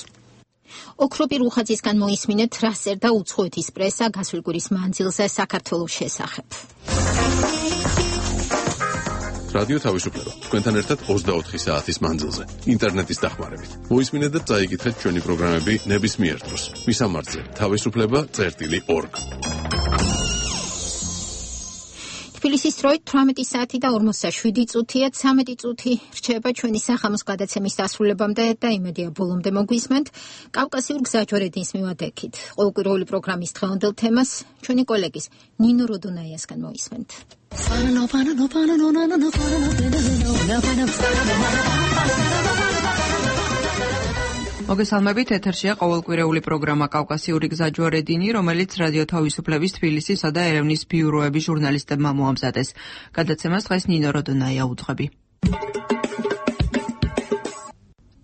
A: ოქროპი რუხაძისგან მოისმინეთ, რა წერდა უცხოეთის პრესა გასული კვირის მანძილზე საქართველოს შესახებ.
C: რადიო თავისუფლება. თქვენთან ერთად ოცდაოთხი საათის მანძილზე, ინტერნეტის დახმარებით. მოისმინეთ და წაიკითხეთ ჩვენი პროგრამები ნებისმიერ დროს. მისამართზე თავისუფლება წერტილი ორგ. თბილისის დროით თვრამეტი საათი და ორმოცდაშვიდი წუთია, ცამეტი წუთი რჩება ჩვენი სახამოს გადაცემის დასრულებამდე და იმედია ბოლომდე მოგვისმენთ. კავკასიურ გზაჯვარედინს მივადექით. ყოველკვირეული პროგრამის დღევანდელ თემას ჩვენი კოლეგის ნინო როდონაიასგან მოისმენთ.
E: მოგესალმებით, ეთერშია ყოველკვირეული პროგრამა კავკასიური გზაჯვარედინი, რომელიც რადიო თავისუფლების თბილისისა და ერევნის ბიუროების ჟურნალისტებმა მოამზადეს. გადაცემას დღეს ნინო როდონაია უძღვები.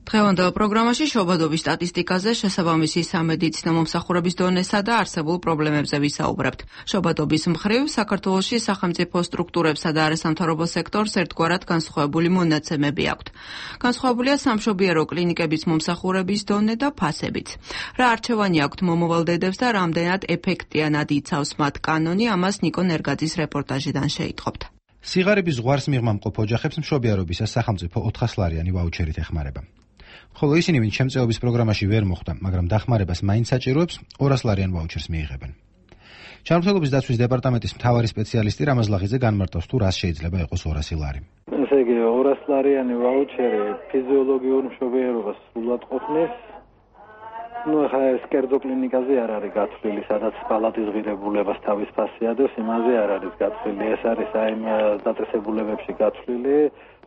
E: დღევანდელ პროგრამაში შობადობის სტატისტიკაზე, შესაბამისი სამედიცინო მომსახურების დონესა და არსებულ პრობლემებზე ვისაუბრებთ. შობადობის მხრივ საქართველოში სახელმწიფო სტრუქტურებსა და არასამთავრობო სექტორს ერთგვარად განსხვავებული მონაცემები აქვთ. განსხვავებულია სამშობიარო კლინიკების მომსახურების დონე და ფასებიც. რა არჩევანი აქვთ მომავალ დედებს და რამდენად ეფექტიანად იცავს მათ კანონი, ამას ნიკო ნერგაძის რეპორტაჟიდან შეიტყობთ.
T: სიღარიბის ზღვარს მიღმამყოფ ოჯახებს მშობიარობისას სახელმწიფო ოთხასლარიანი ვაუჩერით ეხმარება. ხოლო ისინი, ვინც შემწეობის პროგრამაში ვერ მოხვდა, მაგრამ დახმარებას მაინც საჭიროებს, ორასლარიან ვაუჩერს მიიღებენ. ჩართულობის დაცვის დეპარტამენტის მთავარი სპეციალისტი რამაზ ლაღიძე განმარტავს, თუ რას შეიძლება იყოს ორასი ლარი.
U: ესე იგი ორასლარიანი ვაუჩერი ფიზიოლოგიურ მშობიარობას სრულად ყოფნის. ну ახლა ეს კერძო კლინიკაზე არ არის გათვლილი, სადაც პალატის ღირებულებას თავის ფასი ადევს, იმაზე არ არის გათვლილი. ეს არის აი დაწესებულებებში გათვლილი,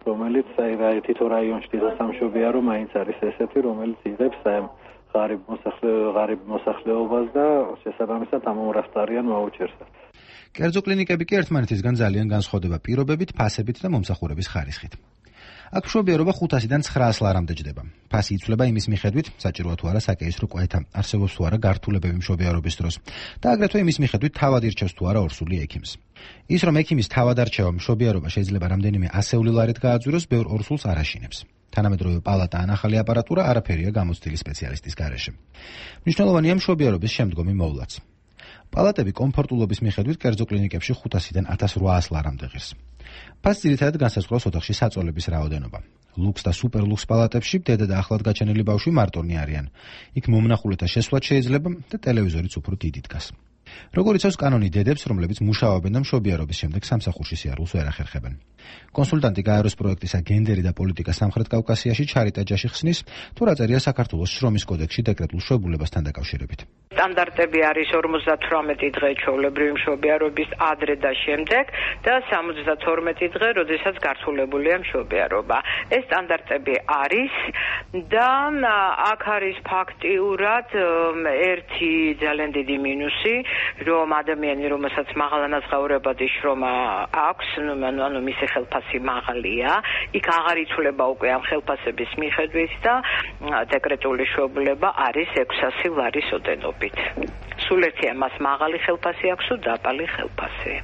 U: რომელიც აი თითო რაიონში თითო სამშობიარო მაინც არის ესეთი, რომელიც იღებს აი ღარიბ მოსახლეობას, ღარიბ მოსახლეობას და შესაბამისად ამ ორასლარიან ვაუჩერს.
T: კერძო კლინიკები კი ერთმანეთისგან ძალიან განსხვავდება პირობებით, ფასებით და მომსახურების ხარისხით. აქ მშობიარობა ხუთასიდან ცხრაას ლარამდე ჯდება. ფასი იცვლება იმის მიხედვით, საჭიროა თუ არა საკეისრო კვეთა, არსებობს თუ არა გართულებები მშობიარობის დროს და აგრეთვე იმის მიხედვით თავად ირჩევს თუ არა ორსული ექიმს. ის რომ ექიმის თავად არჩევა მშობიარობა შეიძლება რამდენიმე ასეული ლარით გააძვიროს, ბევრ ორსულს არ აშინებს. თანამედროვე პალატა ან ახალი აპარატურა არაფერია გამოცდილი სპეციალისტის გარეშე. მნიშვნელოვანია მშობიარობის შემდგომი მოვლაც. პალატები კომფორტულობის მიხედვით კერძო კლინიკებში ხუთასიდან ათას რვაას ლარამდე ღირს. ფასს ძირითადად განსაზღვრავს ოთახში საწოლების რაოდენობა. ლუქს და სუპერლუქს პალატებში დედა და ახლად გაჩენილი ბავშვი მარტონი არიან. იქ მომნახულეთა შესვლაც შეიძლება და ტელევიზორიც უფრო დიდი დგას. როგორც იცავს კანონი დედებს, რომლებიც მუშაობენ და მშობიარობის შემდეგ სამსახურში სიარულს ვერ ახერხებენ. კონსულტანტი გაეროს პროექტისა გენდერი და პოლიტიკა სამხრეთ კავკასიაში ჩარიტა ჯაში ხსნის, თუ რა წერია საქართველოს შრომის კოდექსში დეკრეტულ შვებულებასთან დაკავშირებით.
V: სტანდარტები არის ორმოცდათვრამეტი დღე ჩვეულებრივი მშობიარობის ადრე და შემდეგ და სამოცდათორმეტი დღე, როდესაც გართულებულია მშობიარობა. ეს სტანდარტები არის და აქ არის ფაქტიურად ერთი ძალიან დიდი მინუსი, რომ ადამიანი, რომელსაც მაღალანაზღაურებადი შრომა აქვს, ანუ მისი ხელფასი მაღალია, იქ აღარ იცვლება უკვე ამ ხელფასების მიხედვით და დეკრეტული შვებულება არის ექვსასი ლარის ოდენობით. სულ ერთია მას მაღალი ხელფასი აქვს თუ დაბალი ხელფასი.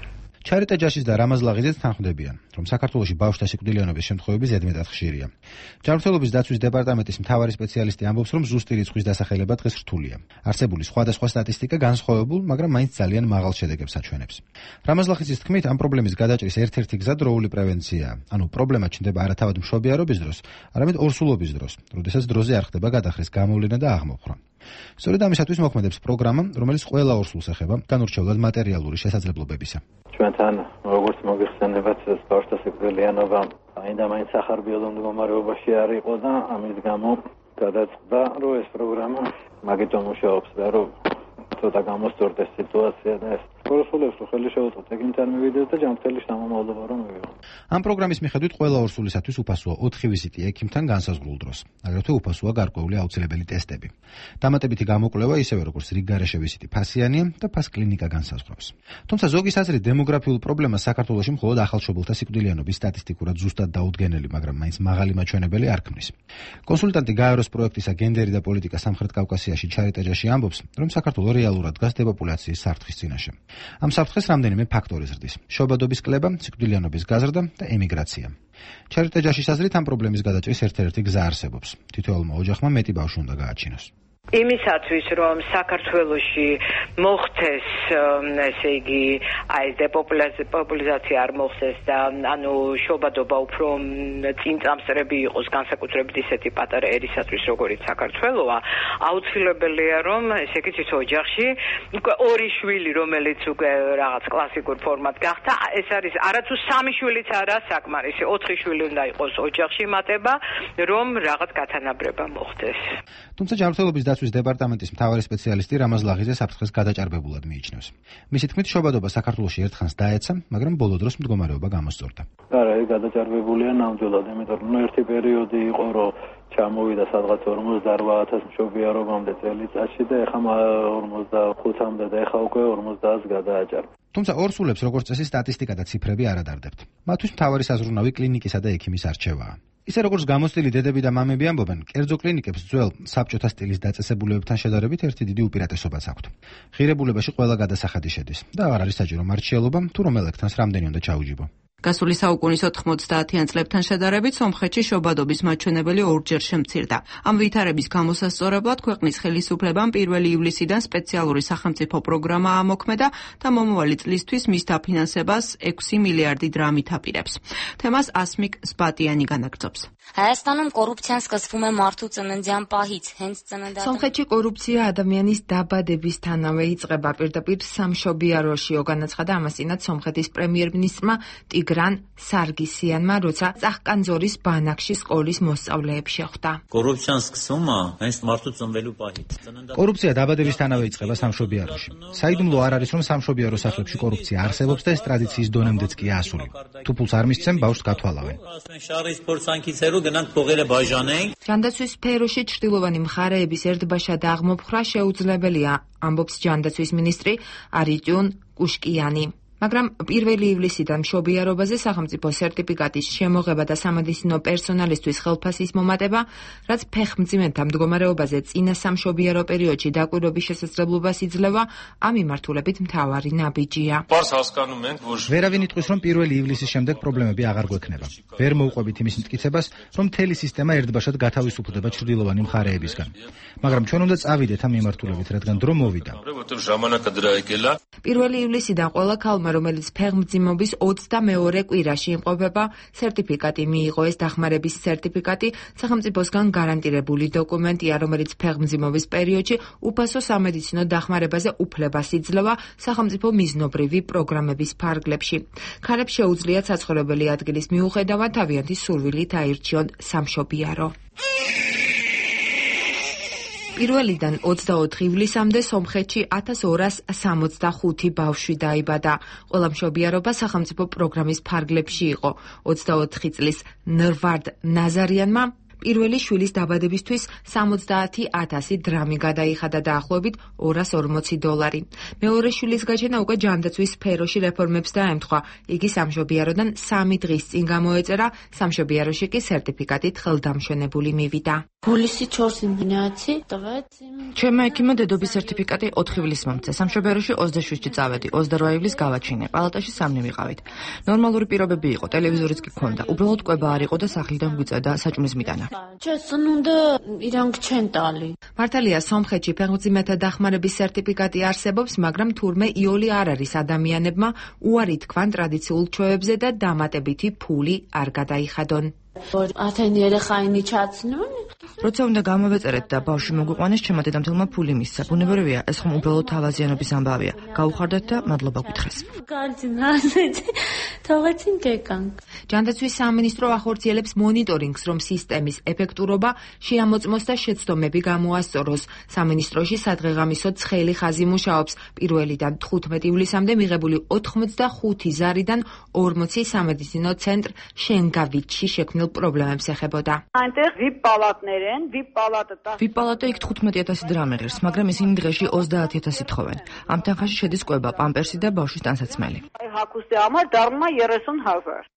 T: ჩარიტა ჯაშის და რამაზ ლაღიძეც თანხმდებიან, რომ საქართველოში ბავშვთა სიკვდილიანობის შემთხვევები ზედმეტად ხშირია. ჯანმრთელობის დაცვის დეპარტამენტის მთავარი სპეციალისტი ამბობს, რომ ზუსტი რიცხვის დასახელება დღეს რთულია. არსებული სხვადასხვა სტატისტიკა განსხვავებულ, მაგრამ მაინც ძალიან მაღალ შედეგებს აჩვენებს. რამაზ ლაღიძის თქმით, ამ პრობლემის გადაჭრის ერთ-ერთი გზა დროული პრევენციაა. ანუ პრობლემა ჩნდება არა თავად მშობიარობის დროს, არამედ ორსულობის დროს, როდესაც დროზე არ ხდება გადახრის გამოვლენა და აღმოფხვრა. სწორედ ამისათვის მოქმედებს პროგრამა, რომელიც ყველა ორსულს ეხება განურჩევლად მატერიალური შესაძლებლობებისა.
U: ჩვენთან როგორც მოგიხსენებათ, ბავშვთა სიკვდილიანობა აინდა მაინც სახარბიელო მდგომარეობაში არ იყო და ამის გამო გადაწყდა, რომ ეს პროგრამა მაგითო მუშაობს და რომ ცოტა გამოსწორდეს სიტუაცია და ეს ორსულებს რო ხელი შეუწყოთ, ეგინთან მივიდეს და ჯანმრთელი შთამომავლობა რომ მივიღო.
T: ამ პროგრამის მიხედვით ყველა ორსულისათვის უფასოა ოთხი ვიზიტი ექიმთან განსაზღვრულ დროს. აგრეთვე უფასოა გარკვეული აუცილებელი ტესტები. დამატებითი გამოკვლევა ისევე როგორც რიგგარეშე ვიზიტი ფასიანია და ფას კლინიკა განსაზღვრავს. თუმცა ზოგის აზრით დემოგრაფიულ პრობლემას საქართველოში მხოლოდ ახალშობილთა სიკვდილიანობის სტატისტიკურად ზუსტად დაუდგენელი, მაგრამ მაინც მაღალი მაჩვენებელი არ ქმნის. კონსულტანტი გაეროს პროექტისა გენდერი და პოლიტიკა სამხრეთ კავკასიაში ჩარიტა ჯაში ამბობს, რომ საქართველო რეალურად დგას დეპოპულაციის საფრთხის წინაშე. ამ საფრთხეს რამდენიმე ფაქტორი ზრდის: შობადობის კლება, სიკვდილიანობის გაზრდა და ემიგრაცია. ჩარიტა ჯაშის აზრით ამ პრობლემის გადაჭრის ერთ-ერთი გზა არსებობს. თითოეულმა ოჯახმა მეტი ბავშვი უნდა გააჩინოს.
V: იმისათვის, რომ საქართველოში მოხდეს, ესე იგი, აი დეპოპულიზაცია არ მოხდეს და ანუ შობადობა უფრო წინწამსწრები იყოს, განსაკუთრებით ისეთი პატარა ერისათვის, როგორიც საქართველოა, აუცილებელია, რომ ესე იგი თითო ოჯახში უკვე ორი შვილი, რომელიც უკვე რაღაც კლასიკურ ფორმად გახდა, ეს არის არათუ სამი შვილიც არა საკმარისი, ოთხი შვილი უნდა იყოს ოჯახში მატება, რომ რაღაც გათანაბრება მოხდეს.
T: თუმცა ჯანმრთელობის დაცვის დეპარტამენტის მთავარი სპეციალისტი რამაზ ლაღიძე საფრთხეს გადაჭარბებულად მიიჩნევს. მისი თქმით, შობადობა საქართველოში ერთხანს დაეცა, მაგრამ ბოლო დროს მდგომარეობა გამოსწორდა.
U: არა, ეს გადაჭარბებულია ნამდვილად, იმიტომ რომ ერთი პერიოდი იყო, რომ ჩამოვიდა სადღაც ორმოცდარვა ათას მშობიარობამდე წელიწადში და ეხლა ორმოცდახუთამდე და ეხლა უკვე ორმოცდაათს გადააჭარბა.
T: თუმცა ორსულებს როგორც წესი სტატისტიკა და ციფრები არ ადარდებთ. მათთვის მთავარი საზრუნავი კლინიკისა და ექიმის არჩევაა. ისე როგორც გამოცდილი დედები და მამები ამბობენ, კერძო კლინიკებს ძველ საბჭოთა სტილის დაწესებულებებთან შედარებით ერთი დიდი უპირატესობაც აქვთ. ღირებულებაში ყველა გადასახადი შედის და აღარ არის საჭირო მარჩიელობა, თუ რომელ ექთანს რამდენი უნდა ჩაუჯიბო.
E: გასული საუკუნის ოთხმოცდაათიან წლებთან შედარებით სომხეთში შობადობის მაჩვენებელი ორჯერ შემცირდა. ამ ვითარების გამოსასწორებლად ქვეყნის ხელისუფლებამ პირველი ივლისიდან სპეციალური სახელმწიფო პროგრამა ამოქმედა და მომავალი წლისთვის მის დაფინანსებას ექვსი მილიარდი დრამით აპირებს. თემას ასმიკ სპატიანი განაგრძობს.
D: Հայաստանում կոռուպցիան սկսվում է մարդու ծննդյան պահից, հենց ծննդատան։
E: Սომხეთში կոռուպცია ადამიანის დაბადებისთანავე იწყება, პირდაპირ სამშობიაროში, განაცხადა ამასინაც სომხეთის პრემიერ-მინისტრმა ტიგრან სარგისიანმა, როცა წახკანძორის ბანაკში სკოლის მოსწავლეებს შეხვდა.
G: კორუფციან սկսումը հենց մարդու ծնվելու պահից։
T: კორუფცია დაბადებისთანავე იწყება სამშობიაროში. საიდუმლო არ არის, რომ სამშობიარო სახლებში კორუფცია არსებობს და ეს ტრადიციის დონემდეც კი ასული. თუ ფულს არ მისცემ, ბავშვს გათვალავენ. ჯანდაცვის სფეროში ჩრდილოვანი მხარეების ერთბაშად აღმოფხრა შეუძლებელია, ამბობს ჯანდაცვის მინისტრი არიტიონ კუშკიანი. მაგრამ პირველი ივლისიდან მშობიარობაზე სახელმწიფო სერტიფიკატის შემოღება და სამედიცინო პერსონალისთვის ხელფასის მომატება, რაც ფეხმძიმეთა მდგომარეობაზე წინა სამშობიარო პერიოდში დაკვირვების შესაძლებლობას იძლევა, ამ მიმართულებით მთავარი ნაბიჯია. ვერავინ იტყვის, რომ პირველი ივლისის შემდეგ პრობლემები აღარ გვექნება. ვერ მოუყვებით იმის მტკიცებას, რომ მთელი სისტემა ერთბაშად გათავისუფლდება ჩრდილოვანი მხარეებისგან. მაგრამ ჩვენ უნდა წავიდეთ ამ მიმართულებით, რადგან დრო მოვიდა.
E: პირველი ივლისიდან ყველა ქალმა, რომელიც ფეხმძიმობის ოცდამეორე კვირაში იმყოფება, სერტიფიკატი მიიღო. ეს დახმარების სერტიფიკატი სახელმწიფოსგან გარანტირებული დოკუმენტია, რომელიც ფეხმძიმობის პერიოდში უფასო სამედიცინო დახმარებაზე უფლებას იძლევა სახელმწიფო მიზნობრივი პროგრამების ფარგლებში. ქალებს შეუძლიათ საცხოვრებელი ადგილის მიუხედავად თავიანთი სურვილით აირჩიონ სამშობიარო. პირველიდან ოცდაოთხ ივლისამდე სომხეთში ათას ორას სამოცდახუთი ბავშვი დაიბადა. ყველა მშობიარობა სახელმწიფო პროგრამის ფარგლებში იყო. ოცდაოთხი წლის ნრვარდ ნაზარიანმა პირველი შვილის დაბადებისთვის სამოცდაათი ათასი დრამი გადაიხადა, დაახლოებით ორას ორმოცი დოლარი. მეორე შვილის გაჩენა უკვე ჯანდაცვის სფეროში რეფორმებს დაემთხვა. იგი სამშობიაროდან სამი დღის წინ გამოეწერა, სამშობიაროში კი სერტიფიკატით ხელდამშვენებული მივიდა.
W: ჩემმა ექიმმა დედობის სერტიფიკატი ოთხ ივლისს მომწია. სამშობიაროში ოცდაშვიდში წავედი, ოცდარვა ივლისს გავაჩინე. პალატაში სამნი ვიყავით. ნორმალური პირობები იყო, ტელევიზორიც კი ჰქონდა. უბრალოდ კვება არ იყო და სახლიდან გვიწევდა საჭმლის მიტანა.
E: მართალია, სომხეთში ფეხმძიმეთა დახმარების სერტიფიკატი არსებობს, მაგრამ თურმე იოლი არ არის ადამიანებმა უარი თქვან ტრადიციულ ჩვევებზე და დამატებითი ფული არ გადაიხადონ.
W: როცა უნდა გამოვეწერეთ და ბავშვი მოგვიყვანეს, ჩემმა დედამთილმა ფული მისცა. ბუნებრივია, ეს ხომ უბრალოდ თავაზიანობის ამბავია. გაუხარდეთ და მადლობა გითხრეს.
E: ჯანდაცვის სამინისტრო ახორციელებს მონიტორინგს, რომ სისტემის ეფექტურობა შეამოწმოს და შეცდომები გამოასწოროს. სამინისტროში სადღეღამისო ცხელი ხაზი მუშაობს. პირველიდან თხუთმეტ ივლისამდე მიღებული ოთხმოცდახუთი ზარიდან ორმოცი სამედიცინო ცენტრ შენგავიჩში შექმნილ პრობლემებს ეხებოდა.
W: ვიპ პალატა იქ თხუთმეტი ათასი დრამი ღირს, მაგრამ ისინი დღეში ოცდაათი ათასი თხოვენ. ამ თანხაში შედის კვება, პამპერსი და ბავშვის ტანსაცმელი.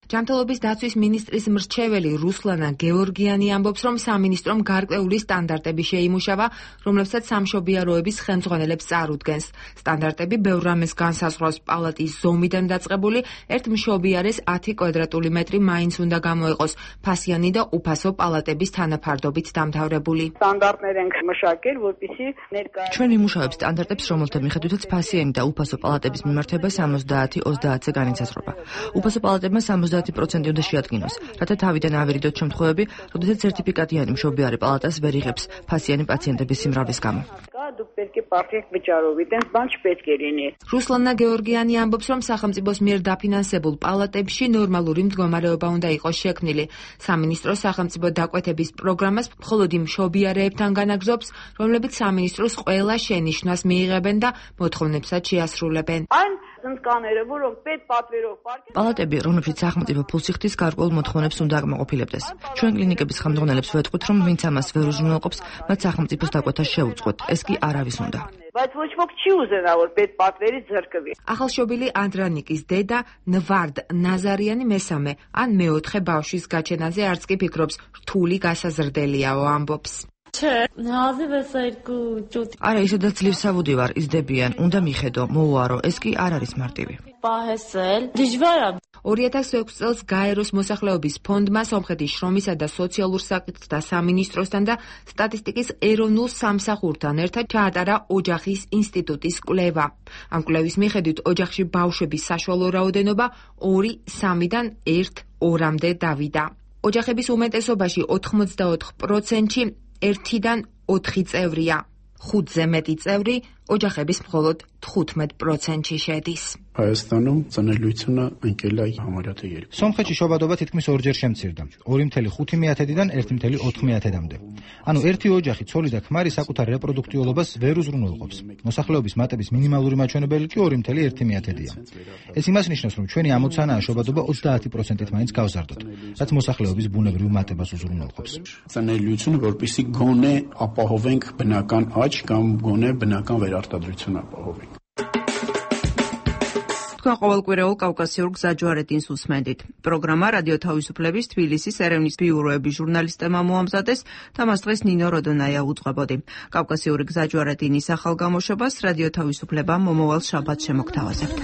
E: ჯანმრთელობის დაცვის მინისტრის მრჩეველი რუსლანა გეორგიანი ამბობს, რომ სამინისტრომ გარკვეული სტანდარტები შეიმუშავა, რომლებსაც სამშობიაროების ხელმძღვანელებს წარუდგენს. სტანდარტები ბევრ რამეს განსაზღვრავს. პალატის ზომიდან დაწყებული ერთ მშობიარეს ათი კვადრატული მეტრი მაინც უნდა გამოეყოს, ფასიანი და უფასო პალატების თანაფარდობით დამთავრებული.
W: ჩვენ ვიმუშავებთ სტანდარტებს, რომელთა მიხედვითაც ფასიანი და უფასო პალატების მიმართება სამოცდაათი ოცდაათზე განისაზღვრება. უფასო პალატებმა სამოცდაათი პროცენტი უნდა შეადგინოს, რათა თავიდან ავერიდოთ შემთხვევები, როდესაც სერტიფიკატიანი მშობიარე პალატას ვერ იღებს ფასიანი პაციენტების სიმრავლის გამო.
E: რუსლანა გეორგიანი ამბობს, რომ სახელმწიფოს მიერ დაფინანსებულ პალატებში ნორმალური მდგომარეობა უნდა იყოს შექმნილი. სამინისტრო სახელმწიფო დაკვეთების პროგრამას მხოლოდ იმ მშობიარეებთან განაგრძობს, რომლებიც სამინისტროს ყველა შენიშვნას მიიღებენ და მოთხოვნებსაც შეასრულებენ.
W: პალატები, რომლებშიც სახელმწიფო ფულს იხდის, გარკვეულ მოთხოვნებს უნდა აკმაყოფილებდეს. ჩვენ კლინიკების ხელმძღვანელებს ვეთქვით, რომ ვინც ამას ვერ უზრუნველყოფს, მათ სახელმწიფოს დაკვეთა შეუწყოთ. ეს კი არავის უნდა.
E: ახალშობილი ანდრანიკის დედა ნვარდ ნაზარიანი მესამე ან მეოთხე ბავშვის გაჩენაზე არც კი ფიქრობს, რთული გასაზრდელიაო, ამბობს.
W: არა, ისედაც ძლივსავუდი ვარ, იზრდებიან, უნდა მიხედო, მოუარო, ეს კი არ არის მარტივი.
E: ორი ათას ექვსი წელს გაეროს მოსახლეობის ფონდმა სომხეთის შრომისა და სოციალურ საკითხთა სამინისტროსთან და სტატისტიკის ეროვნულ სამსახურთან ერთად ჩაატარა ოჯახის ინსტიტუტის კვლევა. ამ კვლევის მიხედვით ოჯახში ბავშვების საშუალო რაოდენობა ორი სამიდან ერთ ორამდე დავიდა. ოჯახების უმეტესობაში ოთხმოცდაოთხ პროცენტში ერთიდან ოთხი წევრია. ხუთზე მეტი წევრი ოჯახების მხოლოდ თხუთმეტ პროცენტში შედის.
B: Հայաստանում ծնելիությունը ընկել է համարյա թե երկու.
T: სომხეთში შობადობა თითქმის ორჯერ შემცირდა. ორი წუთი ხუთი მეათედიდან ერთი წუთი ოთხ მეათედამდე. ანუ ერთი ოჯახი, ცოლი და ქმარი საკუთარ რეპროდუქტიულობას ვერ უზრუნველყოფს. მოსახლეობის მატების მინიმალური მაჩვენებელი კი ორი წუთი ერთი მეათედია. ეს იმას ნიშნავს, რომ ჩვენი ამოცანაა შობადობა ოცდაათი პროცენტით მაინც გავზარდოთ, რაც მოსახლეობის ბუნებრივ მატებას უზრუნველყოფს.
B: Ծնելիությունը որպեսզի գոնե ապահովենք բնական աճ կամ գոնե բնական վերարտադրություն ապահովենք.
I: ყოველკვირეულ კავკასიურ გზაჯვარედინს უსმენდით. პროგრამა რადიო თავისუფლების თბილისის ერევნის ბიუროების ჟურნალისტებმა მოამზადეს და მას დღეს ნინო როდონაია უძღვებოდი. კავკასიური გზაჯვარედინის ახალ გამოშვებას რადიო თავისუფლება მომავალ შაბათს შემოგთავაზებთ.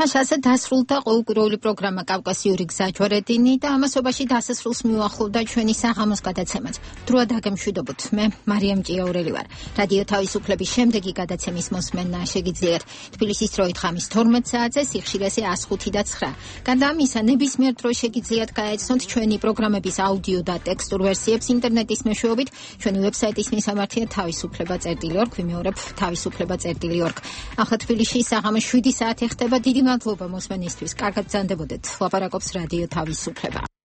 A: მას ასე დასრულდა ყოველკვირეული პროგრამა კავკასიური გზაჯვარედინი და ამასობაში დასასრულს მიუახლოვდა ჩვენი საღამოს გადაცემაც. დროა დაგემშვიდობოთ. მე მარიამ ჭიაურელი ვარ. რადიო თავისუფლების შემდეგი გადაცემის მოსმენა შეგიძლიათ თბილისის დროით ღამის თორმეტ საათზე, სიხშირეზე ას ხუთი და ცხრა. გარდა ამისა, ნებისმიერ დროს შეგიძლიათ გაეცნოთ ჩვენი პროგრამების აუდიო და ტექსტურ ვერსიებს ინტერნეტის მეშვეობით. ჩვენი ვებსაიტის მისამართია თავისუფლება წერტილი ორ, ვიმეორებ თავისუფლება წერტილი ორ. ახლა თბილისში საღამოს შვიდი საათი ხდება. დიდი მადლობა მოსმენისთვის. კარგად ბრძანდებოდეთ. ლაპარაკობს რადიო თავისუფლება.